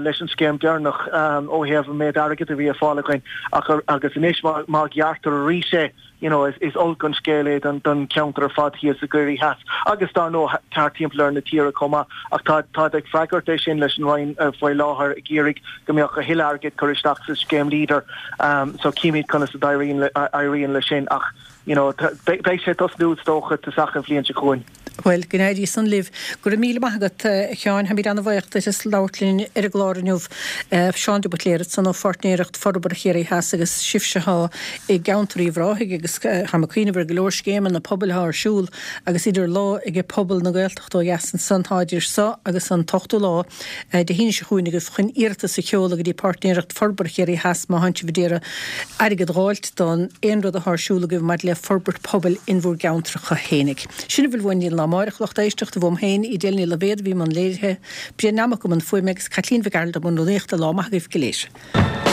leis an scéim deireanach ó thaobh an méid airgid a bhí ar fáil againn ach agus anois má má ghearrtar arís é you know, is, is olc an scéal é don, don cheantar ar fad thíos i gCiarraí Theas agus dar ndóigh thart timpeall ar na tíre chomh maith. Ach tá, táid ag freagairt é sin leis an Roinn faoi láthair ag iarraidh go mbeadh a thuilleadh airgid curtha isteach sa scéim Leader. Um, so címid conas a d'éiríonn le, éiríonn le sin ach you know, beidh, beidh sé ag tosnú is dócha tosach an bhliain seo chugainn. Bhuel, go n-éirí san libh. Go raibh míle maith agat, a Sheáin. Táimid ana-bhuíoch duit as labhairt linn ar an gclár inniu. Seán de Buitléir ansan ó Pháirtnéireacht Forbartha Chiarraí Theas agus sibhse atá i gceantar Uíbh Ráthaigh agus táim ag cuimhneamh ar go leor scéimeanna pobail atá ar siúl agus idir lá ag pobal na Gaeltachta ó dheas ansan. Tá idir seo agus an t-ochtú lá Dé hAoine seo chugainn agaibh chun iarratas a sheoladh go dtí Páirtnéireacht Forbartha Chiarraí Theas má thánn sibh ag iarraidh airgead dh'fháilt don aon rud atá ar siúl agaibh maidir le forbairt pobail in bhur gceantracha fhéinig. Sin a bhfuil uainn don lá amáireach, a lucht éisteachta, uaim féin, Edel Ní Loibhéad a bhí i mbun léirithe, Brian Nammock i mbun fuaime agus Caitlín Mhic Gearailt i mbun rúnaíochta. Lá maith agaibh go léir.